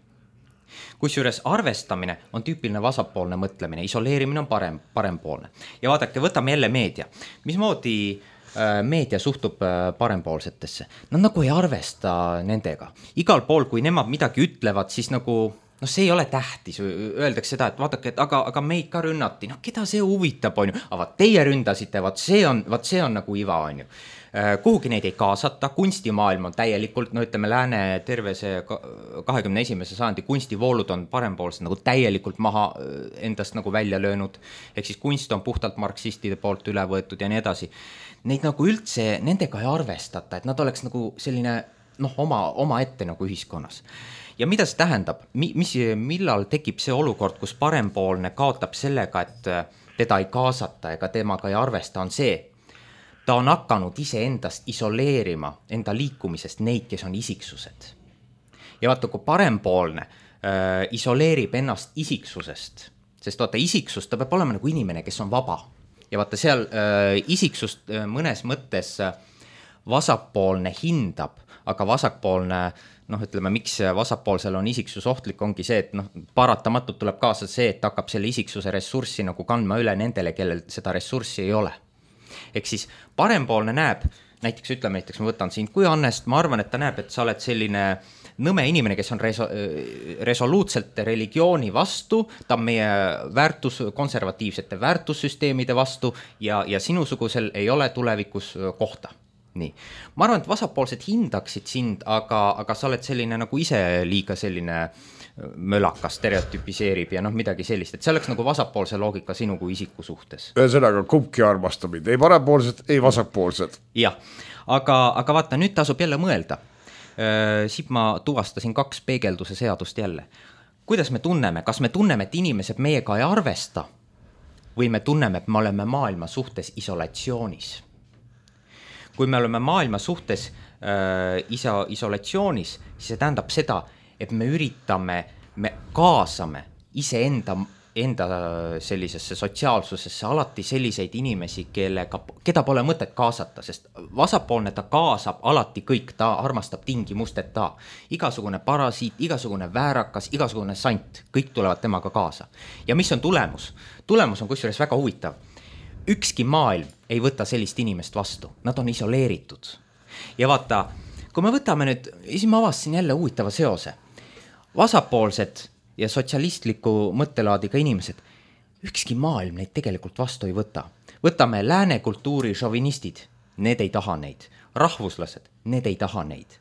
Kusjuures arvestamine on tüüpiline vasakpoolne mõtlemine, isoleerimine on parem, parempoolne. Ja vaadake, võtame jälle meedia. Mismoodi äh, meedia suhtub äh, parempoolsetesse? Nad nagu ei arvesta nendega. Igal pool, kui nemad midagi ütlevad, siis nagu, noh, see ei ole tähtis. Öeldakse seda, et vaadake, et aga, aga meid ka rünnati. Noh, keda see huvitab, on ju? Aga vaat teie ründasite, vaat see on, vaat see on nagu iva, on ju. Kuhugi neid ei kaasata, kunstimaailm on täielikult, no ütleme, lääne terve see kahekümne esimese sajandi kunstivoolud on parempoolsed nagu täielikult maha endast nagu välja löönud, ehk siis kunst on puhtalt marksistide poolt üle võetud ja nii edasi. Neid nagu üldse, nendega ei arvestata, et nad oleks nagu selline, noh, oma, oma ette nagu ühiskonnas. Ja mida see tähendab? Mis, millal tekib see olukord, kus parempoolne kaotab sellega, et teda ei kaasata ega temaga ei arvesta, on see, ta on hakanud ise endast isoleerima enda liikumisest neid, kes on isiksused. Ja vaata, kui parempoolne äh, isoleerib ennast isiksusest, sest vaata, isiksus, ta peab olema nagu inimene, kes on vaba. Ja vaata, seal äh, isiksust äh, mõnes mõttes äh, vasakpoolne hindab, aga vasakpoolne, noh, ütleme, miks vasakpoolsel on isiksus ohtlik, ongi see, et noh, paratamatult tuleb kaasa see, et hakkab selle isiksuse ressurssi nagu kandma üle nendele, kellel seda ressurssi ei ole. Ehk siis parempoolne näeb, näiteks ütleme, näiteks ma võtan sind kui Annest, ma arvan, et ta näeb, et sa oled selline nõme inimene, kes on reso- resoluutselt religiooni vastu, ta on meie väärtus, konservatiivsete väärtussüsteemide vastu ja, ja sinusugusel ei ole tulevikus kohta. Nii. Ma arvan, et vasakpoolsed hindaksid sind, aga, aga sa oled selline nagu ise liiga selline mölakas, stereotypiseerib ja noh, midagi sellist, et see oleks nagu vasakpoolse loogika sinu kui isiku suhtes. Ühesõnaga, kumbki armastamid, ei parempoolsed, ei vasakpoolsed. Jah, aga, aga vaata, nüüd tasub jälle mõelda. Siit ma tuvastasin kaks peegelduse seadust jälle. Kuidas me tunneme? Kas me tunneme, et inimesed meiega ei arvesta või me tunneme, et me oleme maailma suhtes isolatsioonis? Kui me oleme maailma suhtes äh, iso, isolatsioonis, siis see tähendab seda, et me üritame, me kaasame ise enda, enda sellisesse sotsiaalsusesse alati selliseid inimesi, kellega, keda pole mõtet kaasata, sest vasakpoolne ta kaasab alati kõik, ta armastab tingimusteta. Igasugune parasiit, igasugune väärakas, igasugune sant, kõik tulevad temaga kaasa. Ja mis on tulemus? Tulemus on kusjuures väga huvitav. Ükski maailm ei võta sellist inimest vastu, nad on isoleeritud. Ja vaata, kui me võtame nüüd, siis ma avastasin jälle huvitava seose. Vasakpoolsed ja sotsialistliku mõttelaadiga inimesed, ükski maailm neid tegelikult vastu ei võta. Võtame lääne kultuuri šovinistid, need ei taha neid. Rahvuslased, need ei taha neid.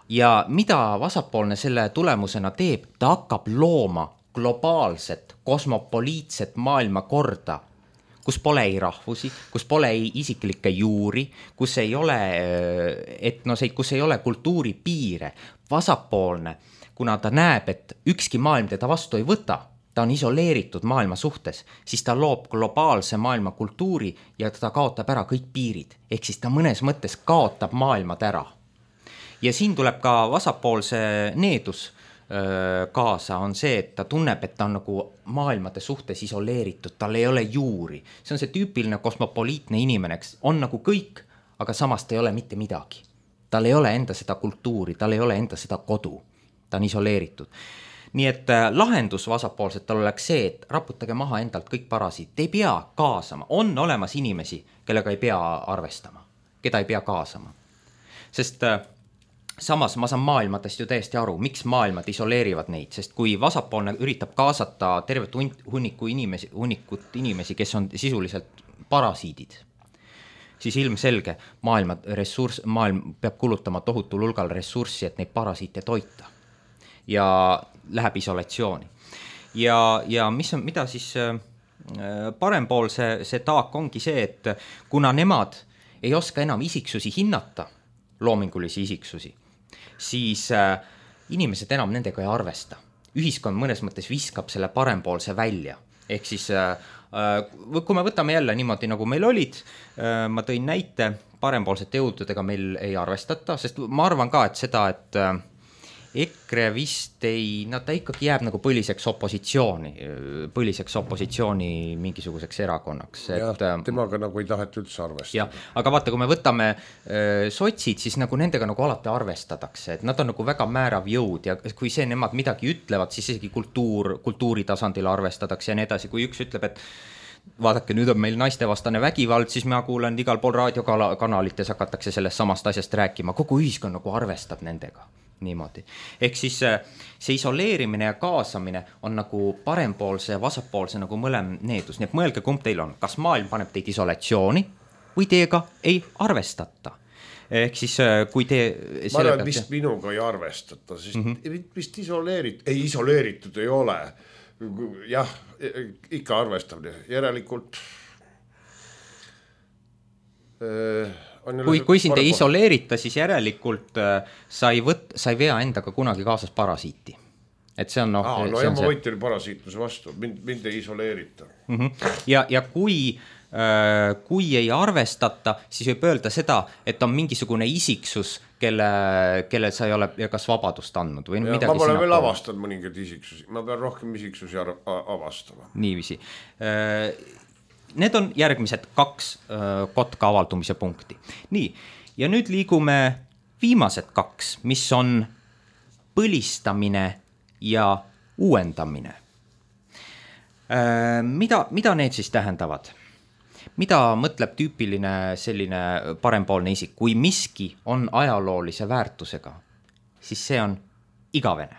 Ja mida vasakpoolne selle tulemusena teeb, ta hakkab looma globaalset, kosmopoliitset maailmakorda, kus pole ei rahvusi, kus pole ei isiklikke juuri, kus ei ole etnoseid, kus ei ole kultuuri piire. Vasakpoolne, kuna ta näeb, et ükski maailm teda vastu ei võta, ta on isoleeritud maailma suhtes, siis ta loob globaalse maailma kultuuri ja ta kaotab ära kõik piirid. Ehk siis ta mõnes mõttes kaotab maailmad ära. Ja siin tuleb ka vasakpoolse needus kaasa, on see, et ta tunneb, et ta on nagu maailmade suhtes isoleeritud, tal ei ole juuri. See on see tüüpiline kosmopoliitne inimene, on nagu kõik, aga samas ta ei ole mitte midagi. Tal ei ole enda seda kultuuri, tal ei ole enda seda kodu, ta on isoleeritud. Nii et lahendus vasakpoolsetel oleks see, et raputage maha endalt kõik parasiit, ei pea kaasama, on olemas inimesi, kellega ei pea arvestama, keda ei pea kaasama. Sest samas ma saan maailmadest ju täiesti aru, miks maailmad isoleerivad neid, sest kui vasakpoolne üritab kaasata tervet hunniku inimesi, hunnikut inimesi, kes on sisuliselt parasiidid, siis ilmselge maailma ressurss, maailm peab kulutama tohutul hulgal ressurssi, et neid parasiite toita ja läheb isolatsiooni. Ja, ja mis on, mida siis parempool see, see taak ongi see, et kuna nemad ei oska enam isiksusi hinnata, loomingulisi isiksusi, siis äh, inimesed enam nendega ei arvesta. Ühiskond mõnes mõttes viskab selle parempoolse välja. Ehk siis, äh, kui me võtame jälle niimoodi, nagu meil olid, äh, ma tõin näite, parempoolsete jõududega meil ei arvestata, sest ma arvan ka, et seda, et äh, EKRE vist ei, no ta ikkagi jääb nagu põliseks opositsiooni, põliseks opositsiooni mingisuguseks erakonnaks. Ja, et, temaga nagu ei tahet üldse arvestada. Ja, aga vaata, kui me võtame äh, sotsid, siis nagu nendega nagu alati arvestatakse, et nad on nagu väga määrav jõud ja kui see nemad midagi ütlevad, siis isegi kultuur, kultuuri tasandil arvestatakse ja nii edasi. Kui üks ütleb, et vaadake, nüüd on meil naistevastane vägivald, siis ma kuulen igal pool raadiokanalites hakatakse sellest samast asjast rääkima. Kogu ühiskond nagu arvestab nendega. Niimoodi. Ehk siis see isoleerimine ja kaasamine on nagu parempoolse ja vasakpoolse nagu mõlem needus. Nii et mõelge, kumb teil on. Kas maailm paneb teid isolatsiooni või teiega ei arvestata? Ehk siis kui te... Ma arvan, vist te... minuga ei arvestata, sest mm -hmm. vist isoleeritud, ei isoleeritud ei ole. Jah, ikka arvestab. Järelikult... Äh... Kui, kui sind ei isoleerita, siis järelikult äh, sa, ei võt, sa ei vea endaga kunagi kaasas parasiiti. Et see on, no, Aa, no see ja on ma see... võitin parasiitluse vastu, mind, mind ei isoleerita. Mm -hmm. ja, ja kui, äh, kui ei arvestata, siis võib öelda seda, et on mingisugune isiksus, kelle, kelle sa ei ole kas vabadust andnud. Või ja, ma pole veel avastanud mõningaid isiksusi, ma pean rohkem isiksusi avastama. Niiviisi. Äh, Need on järgmised kaks äh, kotka avaldumise punkti. Nii, ja nüüd liigume viimased kaks, mis on põlistamine ja uuendamine. Äh, mida, mida need siis tähendavad? Mida mõtleb tüüpiline selline parempoolne isik? Kui miski on ajaloolise väärtusega, siis see on igavene.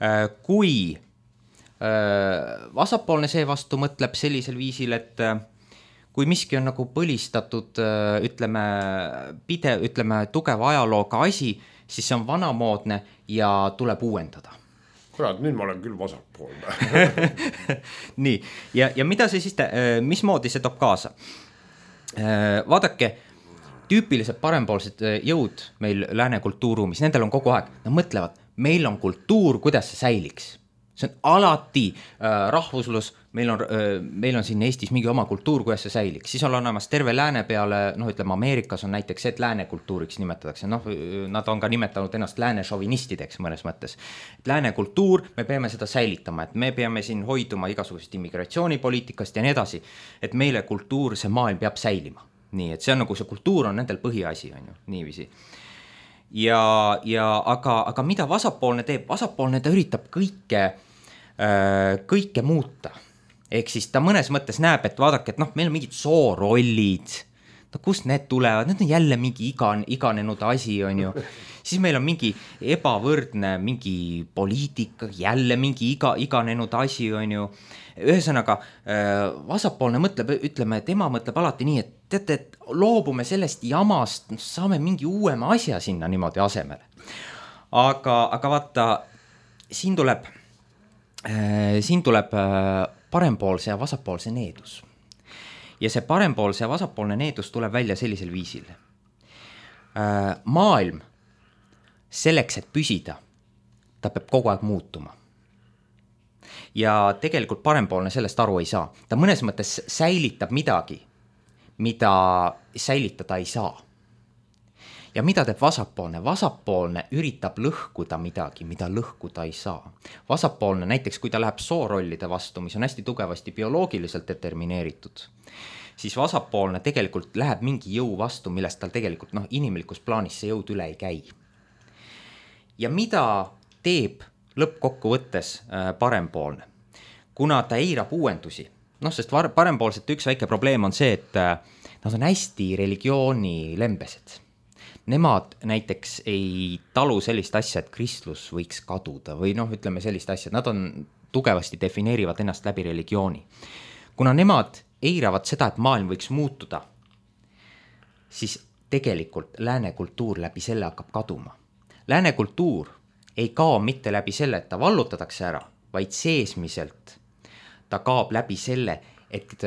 Äh, kui vasakpoolne seevastu mõtleb sellisel viisil, et kui miski on nagu põlistatud, ütleme, pide, ütleme tugeva ajalooga asi, siis see on vanamoodne ja tuleb uuendada. Kurat, nüüd ma olen küll vasakpoolne. Nii, ja, ja mida see siis, mismoodi see toob kaasa? Vaadake, tüüpilised parempoolsed jõud meil lääne kultuuruumis, nendel on kogu aeg, nad mõtlevad, meil on kultuur, kuidas see säiliks. See on alati äh, rahvuslus, meil on, äh, meil on siin Eestis mingi oma kultuur, kuidas see säiliks. Siis on olemas terve lääne peale, noh ütleme Ameerikas on näiteks, et lääne kultuuriks nimetatakse. Noh, nad on ka nimetanud ennast lääne šovinistideks mõnes mõttes. Lääne kultuur, me peame seda säilitama, et me peame siin hoiduma igasugusest immigratsioonipoliitikast ja nii edasi, et meile kultuur, see maailm peab säilima. Nii, et see on nagu see kultuur on nendel põhiasi, on ju, niiviisi. Ja, ja aga, aga mida vasakpoolne teeb? Vasakpoolne ta üritab kõike, äh, kõike muuta. Ehk siis ta mõnes mõttes näeb, et vaadake, et noh, meil on mingid soorollid, no kust need tulevad, need on jälle mingi igan, iganenud asi, on ju. Siis meil on mingi ebavõrdne, mingi poliitika, jälle mingi iga, iganenud asi, on ju. Ühesõnaga, vasakpoolne mõtleb, ütleme, tema mõtleb alati nii, et teate, et loobume sellest jamast, saame mingi uuema asja sinna niimoodi asemele. Aga, aga vaata, siin tuleb, siin tuleb parempoolse ja vasakpoolse needus. Ja see parempoolse ja vasakpoolne needus tuleb välja sellisel viisil. Maailm selleks, et püsida, ta peab kogu aeg muutuma. Ja tegelikult parempoolne sellest aru ei saa. Ta mõnes mõttes säilitab midagi, mida säilitada ei saa. Ja mida teeb vasakpoolne? Vasakpoolne üritab lõhkuda midagi, mida lõhkuda ei saa. Vasakpoolne näiteks, kui ta läheb soorollide vastu, mis on hästi tugevasti bioloogiliselt determineeritud, siis vasakpoolne tegelikult läheb mingi jõu vastu, millest tal tegelikult noh, inimlikus plaanis see jõud üle ei käi. Ja mida teeb lõppkokkuvõttes parempoolne? Kuna ta eirab uuendusi, noh, sest parempoolsete üks väike probleem on see, et nad on hästi religiooni lembesed. Nemad näiteks ei talu sellist asja, et kristlus võiks kaduda või noh, ütleme sellist asja, nad on tugevasti defineerivad ennast läbi religiooni. Kuna nemad eiravad seda, et maailm võiks muutuda, siis tegelikult lääne kultuur läbi selle hakkab kaduma. Lääne kultuur ei kao mitte läbi selle, et ta vallutatakse ära, vaid seesmiselt ta kaob läbi selle, et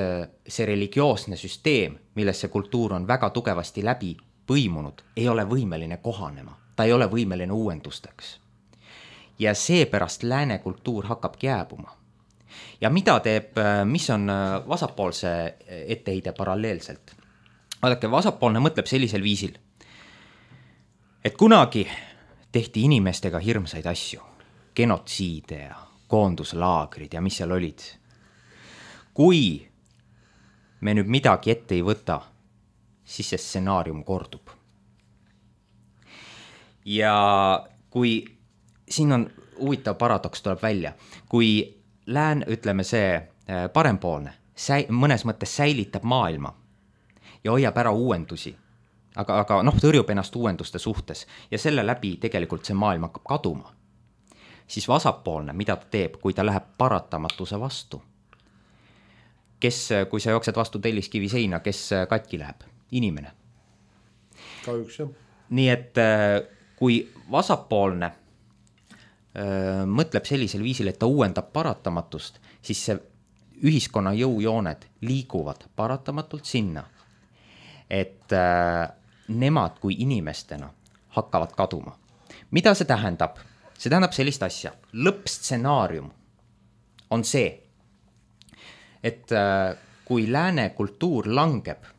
see religioosne süsteem, milles see kultuur on väga tugevasti läbi põimunud, ei ole võimeline kohanema. Ta ei ole võimeline uuendusteks. Ja seepärast lääne kultuur hakkab jääbuma. Ja mida teeb, mis on vasakpoolse etteheide paralleelselt? Vaadake, vasakpoolne mõtleb sellisel viisil, et kunagi tehti inimestega hirmsaid asju, genotsiide ja koonduslaagrid ja mis seal olid. Kui me nüüd midagi ette ei võta, siis see stsenaarium kordub. Ja kui siin on huvitav paradoks tuleb välja, kui lään, ütleme see parempoolne, säi, mõnes mõttes säilitab maailma ja hoiab ära uuendusi, aga, aga noh, tõrjub ennast uuenduste suhtes ja selle läbi tegelikult see maailm hakkab kaduma, siis vasakpoolne, mida ta teeb, kui ta läheb paratamatuse vastu? Kes, kui sa jooksed vastu telliskivi seina, kes katki läheb? Inimene. Kahjuks jah. Nii et kui vasakpoolne öö, mõtleb sellisel viisil, et ta uuendab paratamatust, siis see ühiskonna jõujooned liiguvad paratamatult sinna, et öö, nemad kui inimestena hakkavad kaduma. Mida see tähendab? See tähendab sellist asja. Lõppstsenaarium on see, et öö, kui lääne kultuur langeb,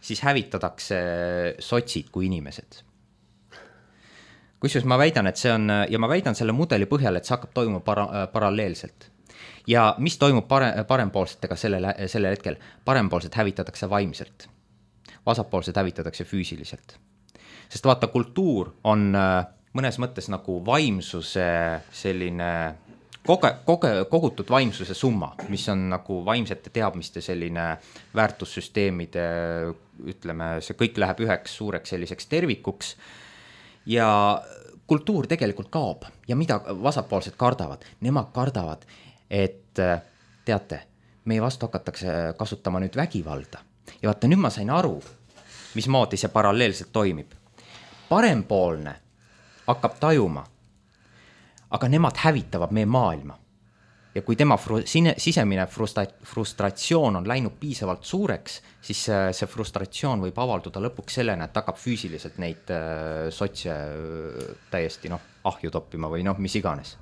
siis hävitatakse sotsid kui inimesed. Kusjuures ma väidan, et see on, ja ma väidan selle mudeli põhjal, et see hakkab toimuma para, paralleelselt. Ja mis toimub pare, parempoolsetega sellel, sellel hetkel? Parempoolsed hävitatakse vaimselt. Vasakpoolsed hävitatakse füüsiliselt. Sest vaata, kultuur on mõnes mõttes nagu vaimsuse selline Koge, koge, kogutud vaimsuse summa, mis on nagu vaimsete teadmiste selline väärtussüsteemide, ütleme, see kõik läheb üheks suureks selliseks tervikuks ja kultuur tegelikult kaob. Ja mida vasakpoolsed kardavad? Nemad kardavad, et teate, meie vastu hakatakse kasutama nüüd vägivalda. Ja vaata, nüüd ma sain aru, mismoodi see paralleelselt toimib. Parempoolne hakkab tajuma, aga nemad hävitavad meie maailma. Ja kui tema fru- sisemine frustra- frustratsioon on läinud piisavalt suureks, siis see frustratsioon võib avalduda lõpuks sellena, et hakkab füüsiliselt neid sotse täiesti noh, ahju toppima või noh, mis iganes.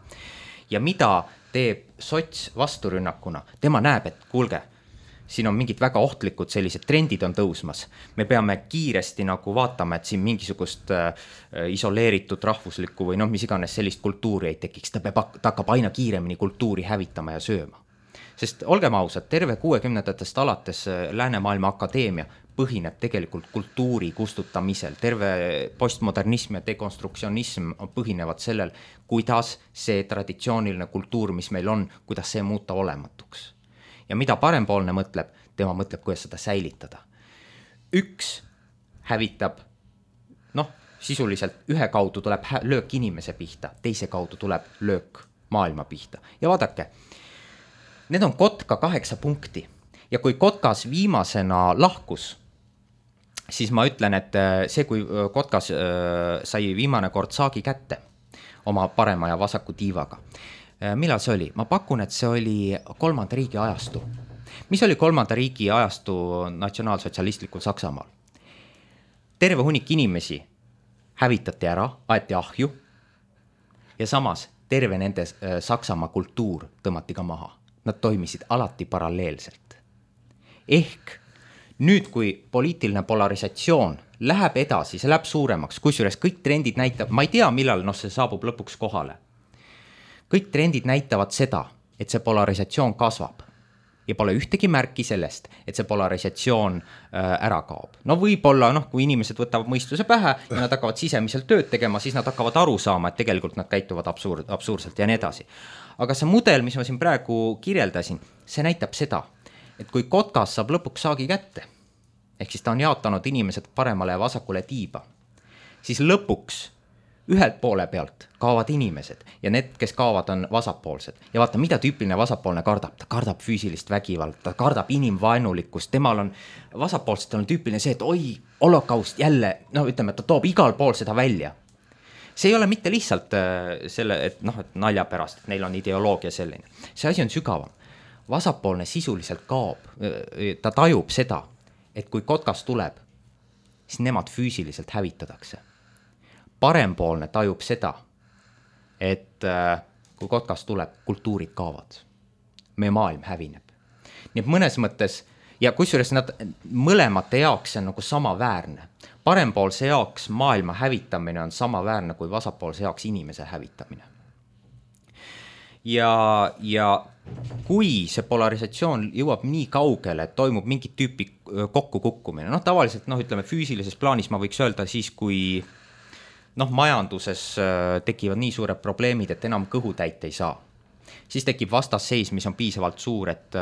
Ja mida teeb sots vasturünnakuna? Tema näeb, et kuulge, siin on mingid väga ohtlikud sellised trendid on tõusmas. Me peame kiiresti nagu vaatama, et siin mingisugust äh, isoleeritud rahvuslikku või noh, mis iganes sellist kultuuri ei tekiks. Ta, peab, ta hakkab aina kiiremini kultuuri hävitama ja sööma. Sest olgem ausad, terve kuuekümnendatest alates Läänemaailma Akadeemia põhineb tegelikult kultuuri kustutamisel. Terve postmodernism ja dekonstruktsionism põhinevad sellel, kuidas see traditsiooniline kultuur, mis meil on, kuidas see muuta olematuks. Ja mida parempoolne mõtleb, tema mõtleb, kuidas seda säilitada. üks hävitab, noh, sisuliselt ühe kaudu tuleb löök inimese pihta, teise kaudu tuleb löök maailma pihta. Ja vaadake, need on kotka kaheksa punkti ja kui kotkas viimasena lahkus, siis ma ütlen, et see, kui kotkas sai viimane kord saagi kätte oma parema ja vasaku tiivaga. Millal see oli? Ma pakun, et see oli kolmanda riigi ajastu. Mis oli kolmanda riigi ajastu natsionaalsotsialistlikul Saksamaal? Terve hunnik inimesi hävitati ära, aeti ahju ja samas terve nende Saksamaa kultuur tõmmati ka maha. Nad toimisid alati paralleelselt. Ehk nüüd, kui poliitiline polarisatsioon läheb edasi, see läheb suuremaks, kusjuures kõik trendid näitab, ma ei tea, millal noh, see saabub lõpuks kohale. Kõik trendid näitavad seda, et see polarisatsioon kasvab ja pole ühtegi märki sellest, et see polarisatsioon ära kaob. No võib-olla, noh, kui inimesed võtavad mõistuse pähe ja nad hakkavad sisemiselt tööd tegema, siis nad hakkavad aru saama, et tegelikult nad käituvad absurd, absurdselt ja nii edasi. Aga see mudel, mis ma siin praegu kirjeldasin, see näitab seda, et kui kotkas saab lõpuks saagi kätte, ehk siis ta on jaotanud inimesed paremale ja vasakule tiiba, siis lõpuks ühelt poole pealt kaovad inimesed ja need, kes kaovad, on vasakpoolsed. Ja vaata, mida tüüpiline vasakpoolne kardab? Ta kardab füüsilist vägivald, ta kardab inimvaenulikkust, temal on, vasakpoolsetel on tüüpiline see, et oi, holokaust jälle, no ütleme, et ta toob igal pool seda välja. See ei ole mitte lihtsalt selle, et noh, et nalja pärast, et neil on ideoloogia selline. See asi on sügavam. Vasakpoolne sisuliselt kaob, ta tajub seda, et kui kotkas tuleb, siis nemad füüsiliselt hävitatakse. Parempoolne tajub seda, et kui kotkas tuleb, kultuurid kaovad. Meie maailm hävineb. Nii et mõnes mõttes, ja kusjuures nad mõlemate jaoks on nagu samaväärne. Parempoolse jaoks maailma hävitamine on samaväärne kui vasakpoolse jaoks inimese hävitamine. Ja, ja kui see polarisatsioon jõuab nii kaugele, et toimub mingit tüüpi kokkukukkumine, noh tavaliselt, noh ütleme füüsilises plaanis ma võiks öelda siis, kui noh, majanduses tekivad nii suured probleemid, et enam kõhutäit ei saa. Siis tekib vastasseis, mis on piisavalt suur, et,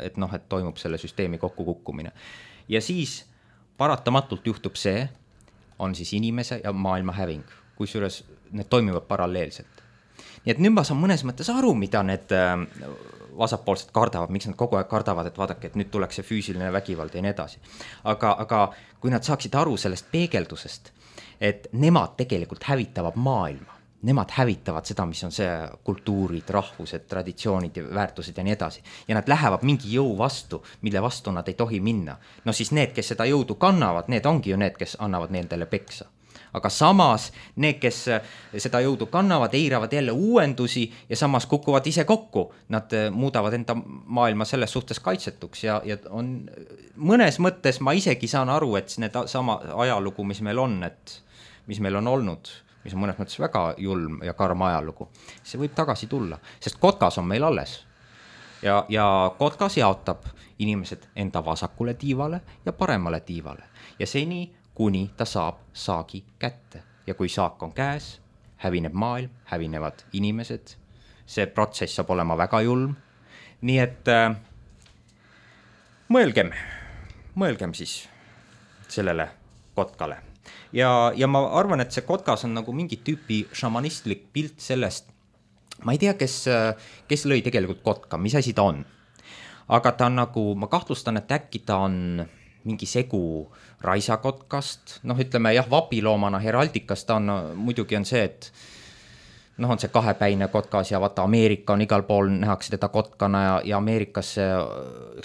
et, noh, et toimub selle süsteemi kokkukukkumine. Ja siis paratamatult juhtub see, on siis inimese ja maailma häving, kusjuures need toimivad paralleelselt. Nii et nüüd ma saan mõnes mõttes aru, mida need vasakpoolsed kardavad, miks nad kogu aeg kardavad, et vaadake, et nüüd tuleks see füüsiline vägivald ja nii edasi. Aga, aga kui nad saaksid aru sellest peegeldusest, et nemad tegelikult hävitavad maailma, nemad hävitavad seda, mis on see kultuurid, rahvused, traditsioonid ja väärtused ja nii edasi. Ja nad lähevad mingi jõu vastu, mille vastu nad ei tohi minna. No siis need, kes seda jõudu kannavad, need ongi ju need, kes annavad nendele peksa. Aga samas need, kes seda jõudu kannavad, eiravad jälle uuendusi ja samas kukuvad ise kokku. Nad muudavad enda maailma selles suhtes kaitsetuks ja, ja on mõnes mõttes ma isegi saan aru, et need sama ajalugu, mis meil on, et mis meil on olnud, mis on mõnes mõttes väga julm ja karm ajalugu, see võib tagasi tulla, sest kotkas on meil alles. Ja, ja kotkas jaotab inimesed enda vasakule tiivale ja paremale tiivale ja seni kuni ta saab saagi kätte. Ja kui saak on käes, hävineb maailm, hävinevad inimesed. See protsess saab olema väga julm. Nii et äh, mõelgem, mõelgem siis sellele kotkale. Ja, ja ma arvan, et see kotkas on nagu mingi tüüpi šamanistlik pilt sellest. Ma ei tea, kes, kes lõi tegelikult kotka, mis asi ta on. Aga ta on nagu, ma kahtlustan, et äkki ta on mingi segu raisakotkast, noh ütleme jah, vapiloomana heraldikas ta on, muidugi on see, et noh on see kahepäine kotkas ja vaata Ameerika on igal pool, nähakse teda kotkana ja, ja Ameerikas see,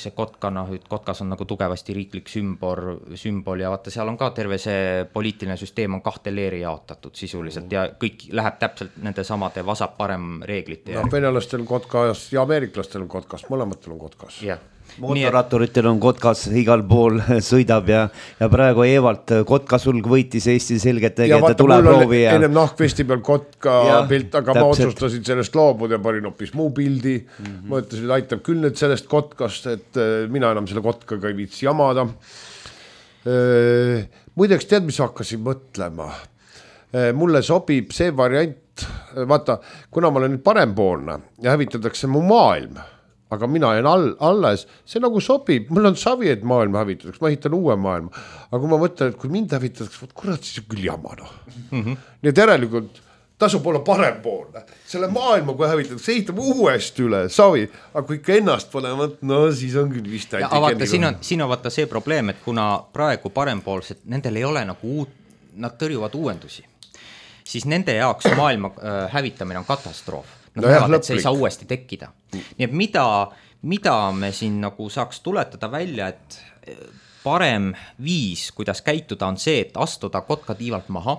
see kotkana, kotkas on nagu tugevasti riiklik sümbol, sümbol ja vaata seal on ka terve see poliitiline süsteem on kahte leeri jaotatud sisuliselt ja kõik läheb täpselt nende samade vasap-parem reeglite. No venelastel on kotkas ja ameeriklastel on kotkas, mõlematel on kotkas. Jah. Mootorratturitel on kotkas igal pool sõidab ja, ja praegu Evalt kotkasulg võitis Eesti selgelt tegeda tuleproovi. Ja ennem nahkvesti peal kotka ja, pilt, aga täpselt. Ma otsustasin sellest loobud ja parin hoopis muu pildi. Mm-hmm. Ma ütlesin, et aitab küll nüüd sellest kotkast, et mina enam selle kotkaga ei viitsi jamada. Muideks tead, mis hakkasin mõtlema? Mulle sobib see variant, vaata, kuna ma olen nüüd parempoolne ja hävitatakse mu maailm, aga mina jään all, alles, see nagu sobib, mul on savi, et maailma hävitatakse, ma ehitan uue maailma, aga kui ma mõtlen, et kui mind hävitatakse, võt kurat, siis on küll jama, noh. Mm -hmm. Nii et järelikult tasub olla parempoolne, selle maailma, kui hävitatakse, ehitame uuesti üle, savi, aga kui ikka ennast pole, no siis on küll vist ja vaata, siin on, siin on vaata see probleem, et kuna praegu parempoolsed, nendel ei ole nagu uut, nad tõrjuvad uuendusi, siis nende jaoks maailma äh, hävitamine on katastroof. Nad no näevad, et see ei saa uuesti tekkida. Nii et mida, mida me siin nagu saaks tuletada välja, et parem viis, kuidas käituda, on see, et astuda kotka tiivalt maha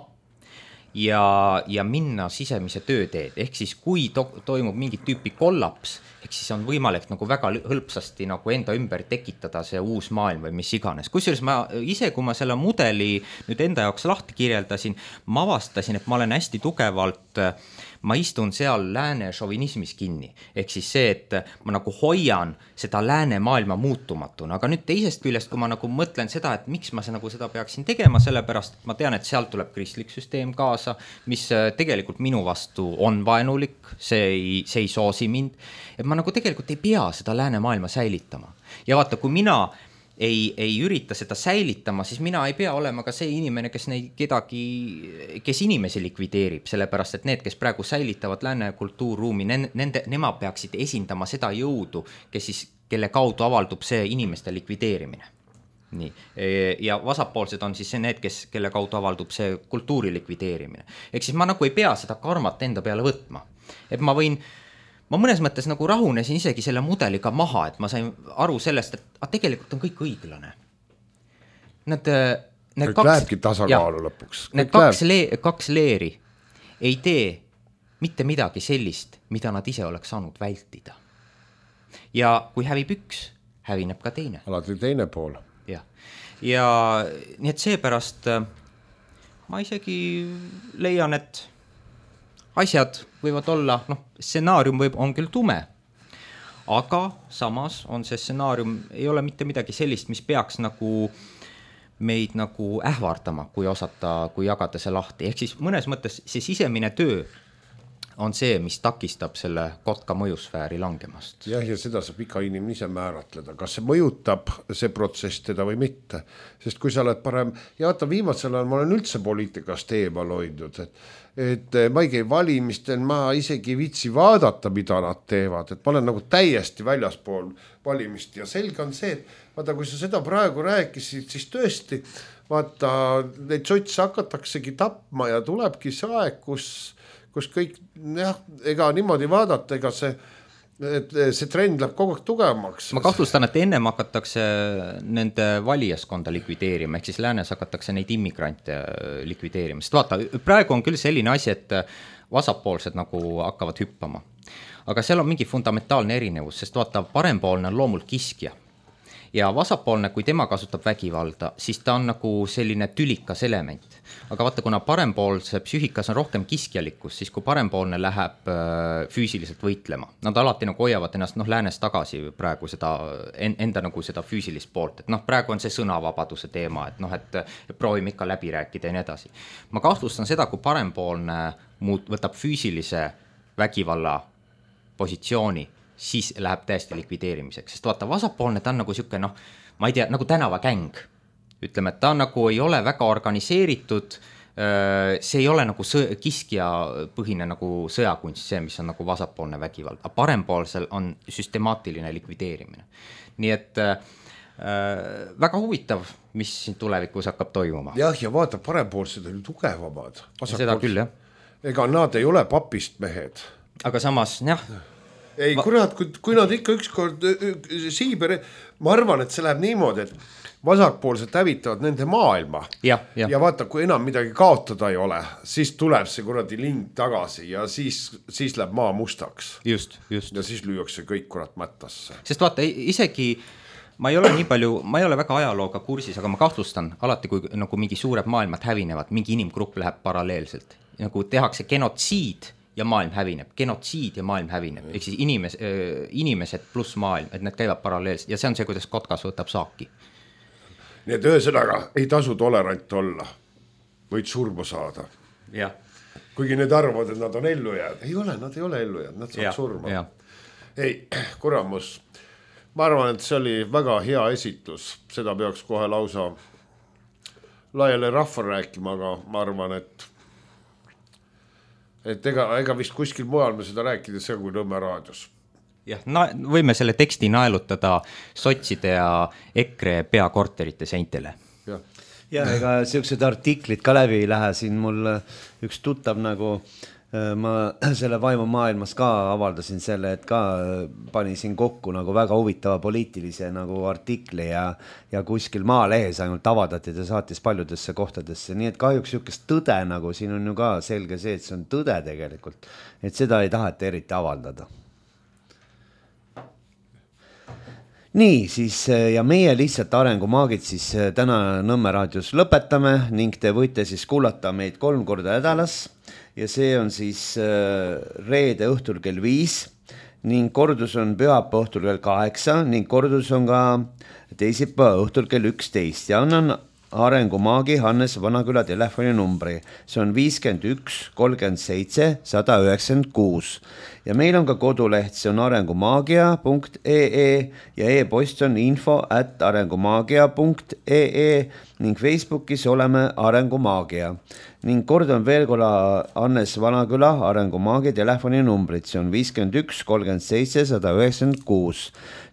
ja, ja minna sisemise tööteed. Ehk siis kui to toimub mingit tüüpi kollaps, ehk siis on võimalik nagu väga hõlpsasti nagu enda ümber tekitada see uus maailm või mis iganes. Kusjuures ma ise, kui ma selle mudeli nüüd enda jaoks lahti kirjeldasin, ma avastasin, et ma olen hästi tugevalt ma istun seal lääne šovinismis kinni. Ehk siis see, et ma nagu hoian seda lääne maailma muutumatuna. Aga nüüd teisest küljest, kui ma nagu mõtlen seda, et miks ma nagu seda peaksin tegema, sellepärast et ma tean, et sealt tuleb kristlik süsteem kaasa, mis tegelikult minu vastu on vaenulik, see ei, see ei soosi mind. Et ma nagu tegelikult ei pea seda lääne maailma säilitama. Ja vaata, kui mina Ei, ei ürita seda säilitama, siis mina ei pea olema ka see inimene, kes neid kedagi, kes inimesi likvideerib, sellepärast, et need, kes praegu säilitavad lääne kultuurruumi, nende, nemad peaksid esindama seda jõudu, kes siis, kelle kaudu avaldub see inimeste likvideerimine. Nii. Ja vasakpoolsed on siis need, kes, kelle kaudu avaldub see kultuuri likvideerimine. Ehk siis ma nagu ei pea seda karmat enda peale võtma. Et ma võin Ma mõnes mõttes nagu rahunesin isegi selle mudeliga maha, et ma sain aru sellest, et a, tegelikult on kõik õiglane. Need, need kõik kaks, lähebki tasakaalu ja, lõpuks. Kõik need kaks, le, kaks leeri ei tee mitte midagi sellist, mida nad ise oleks saanud vältida. Ja kui hävib üks, hävineb ka teine. Alati teine pool. Ja, ja nii et seepärast ma isegi leian, et asjad võivad olla, noh, stsenaarium võib, on küll tume, aga samas on see stsenaarium, ei ole mitte midagi sellist, mis peaks nagu meid nagu ähvardama, kui osata, kui jagada see lahti. Ehk siis mõnes mõttes see sisemine töö on see, mis takistab selle kotka mõjusfääri langemast. Jah, ja seda saab iga inimene ise määratleda, kas see mõjutab see protsess teda või mitte. Sest kui sa oled parem, ja vaata viimasel ajal ma olen üldse poliitikast eemal hoidnud, et, et ma ei käi valimistel, ma isegi ei viitsi vaadata, mida nad teevad, et ma olen nagu täiesti väljaspool valimist ja selge on see, et vaata, kui sa seda praegu rääkisid, siis tõesti, vaata, neid sotse hakataksegi tapma ja tulebki see aeg, kus kus kõik, jah, ega niimoodi vaadata, ega see, see trend läheb kogu aeg tugevamaks. Ma kahtlustan, et ennem hakatakse nende valijaskonda likvideerima, ehk siis läänes hakatakse neid immigrante likvideerima. Sest vaata, praegu on küll selline asi, et vasakpoolsed nagu hakkavad hüppama. Aga seal on mingi fundamentaalne erinevus, sest vaata, parempoolne on loomult kiskja. Ja vasakpoolne, kui tema kasutab vägivalda, siis ta on nagu selline tülikas element. Aga vaata, kuna parempoolse psüühikas on rohkem kiskjalikkus, siis kui parempoolne läheb füüsiliselt võitlema, nad alati nagu hoiavad ennast noh, läänes tagasi praegu seda, enda nagu seda füüsilist poolt, et noh, praegu on see sõnavabaduse teema, et noh, et proovime ikka läbi rääkida ja nii edasi. Ma kahtlustan seda, kui parempoolne muut, võtab füüsilise vägivalla positsiooni, siis läheb täiesti likvideerimiseks, sest vaata, vasakpoolne ta on nagu siuke, noh, ma ei tea, nagu tänavakäng. Ütleme, et ta nagu ei ole väga organiseeritud, see ei ole nagu sõja, kiskja põhine nagu sõjakunst, see, mis on nagu vasakpoolne vägivald, aga parempoolsel on süstemaatiline likvideerimine. Nii et äh, väga huvitav, mis siin tulevikus hakkab toimuma. Jah, ja vaata, parempoolsed on tugevamad. Seda küll, jah. Ega nad ei ole papist mehed. Aga samas, jah, ei, kurat, kui, kui nad ikka ükskord Siiberi, ma arvan, et see läheb niimoodi, et vasakpoolsed hävitavad nende maailma. Ja, ja. ja vaata, kui enam midagi kaotada ei ole, siis tuleb see kuradi ling tagasi ja siis, siis läheb maa mustaks. Just, just. Ja siis lüüakse kõik kurat mättasse. Sest vaata, isegi ma ei ole nii palju, ma ei ole väga ajalooga kursis, aga ma kahtlustan alati, kui nagu mingi suured maailmad hävinevad, mingi inimgrupp läheb paralleelselt. Nagu tehakse genotsiid ja maailm hävineb, genotsiid ja maailm hävineb, ehk siis inimes, inimesed pluss maailm, et need käivad paralleelselt ja see on see, kuidas kotkas võtab saaki. Nii et ühesõnaga ei tasu tolerant olla, võid surma saada. Ja. Kuigi need arvavad, et nad on ellu jääd. Ei ole, nad ei ole ellu jääd, nad saavad ja, surma. Ja. ei, kuramus, ma arvan, et see oli väga hea esitlus, seda peaks kohe lausa laiale rahva rääkima, aga ma arvan, et et ega, ega vist kuskil mujal me seda rääkida see kui Nõmme raadios. Jah, na, võime selle teksti naelutada sotside ja EKRE peakorterite seintele. Jah. Ja ega siuksed artiklid ka läbi ei lähe, siin mul üks tuttav nagu, ma selle Vaimu maailmas ka avaldasin selle, et ka pani siin kokku nagu väga huvitava poliitilise nagu artikli ja, ja kuskil Maalehes ainult avaldati ja saatis paljudesse kohtadesse, nii et kahjuks siukest tõde nagu siin on ju ka selge see, et see on tõde tegelikult, et seda ei taheta eriti avaldada. Nii, siis ja meie lihtsalt arengumaagid siis täna Nõmme raadios lõpetame ning te võite siis kuulata meid kolm korda nädalas ja see on siis reede õhtul kell viis ning kordus on pühapäeva õhtul kell kaheksa ning kordus on ka teisipäeva õhtul kell üksteist ja annan arengumaagi Hannes Vanaküla telefoninumbri. See on viiskümmend üks kolmkümmend seitse sada üheksakümmend kuus ja meil on ka koduleht, see on arengumaagia punkt ee ja e-post on info at arengumaagia punkt ee ning Facebookis oleme Arengumaagia ning kordan veel korra Hannes Vanaküla arengumaagi telefoninumbrit, see on viiskümmend üks kolmkümmend seitse sada üheksakümmend kuus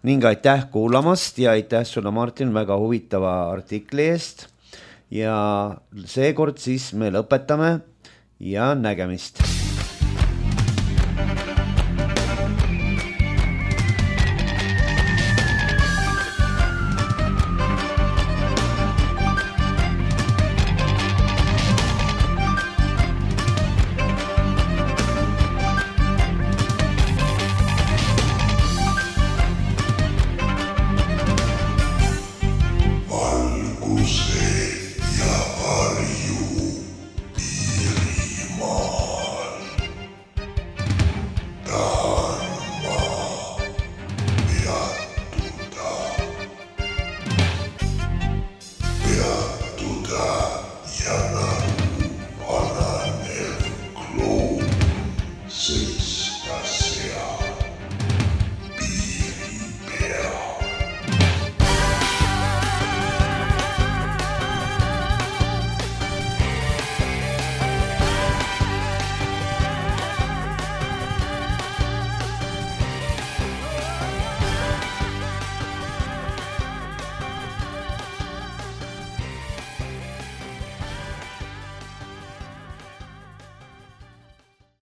ning aitäh kuulamast ja aitäh sulle, Martin, väga huvitava artikli eest ja seekord siis me lõpetame ja nägemist.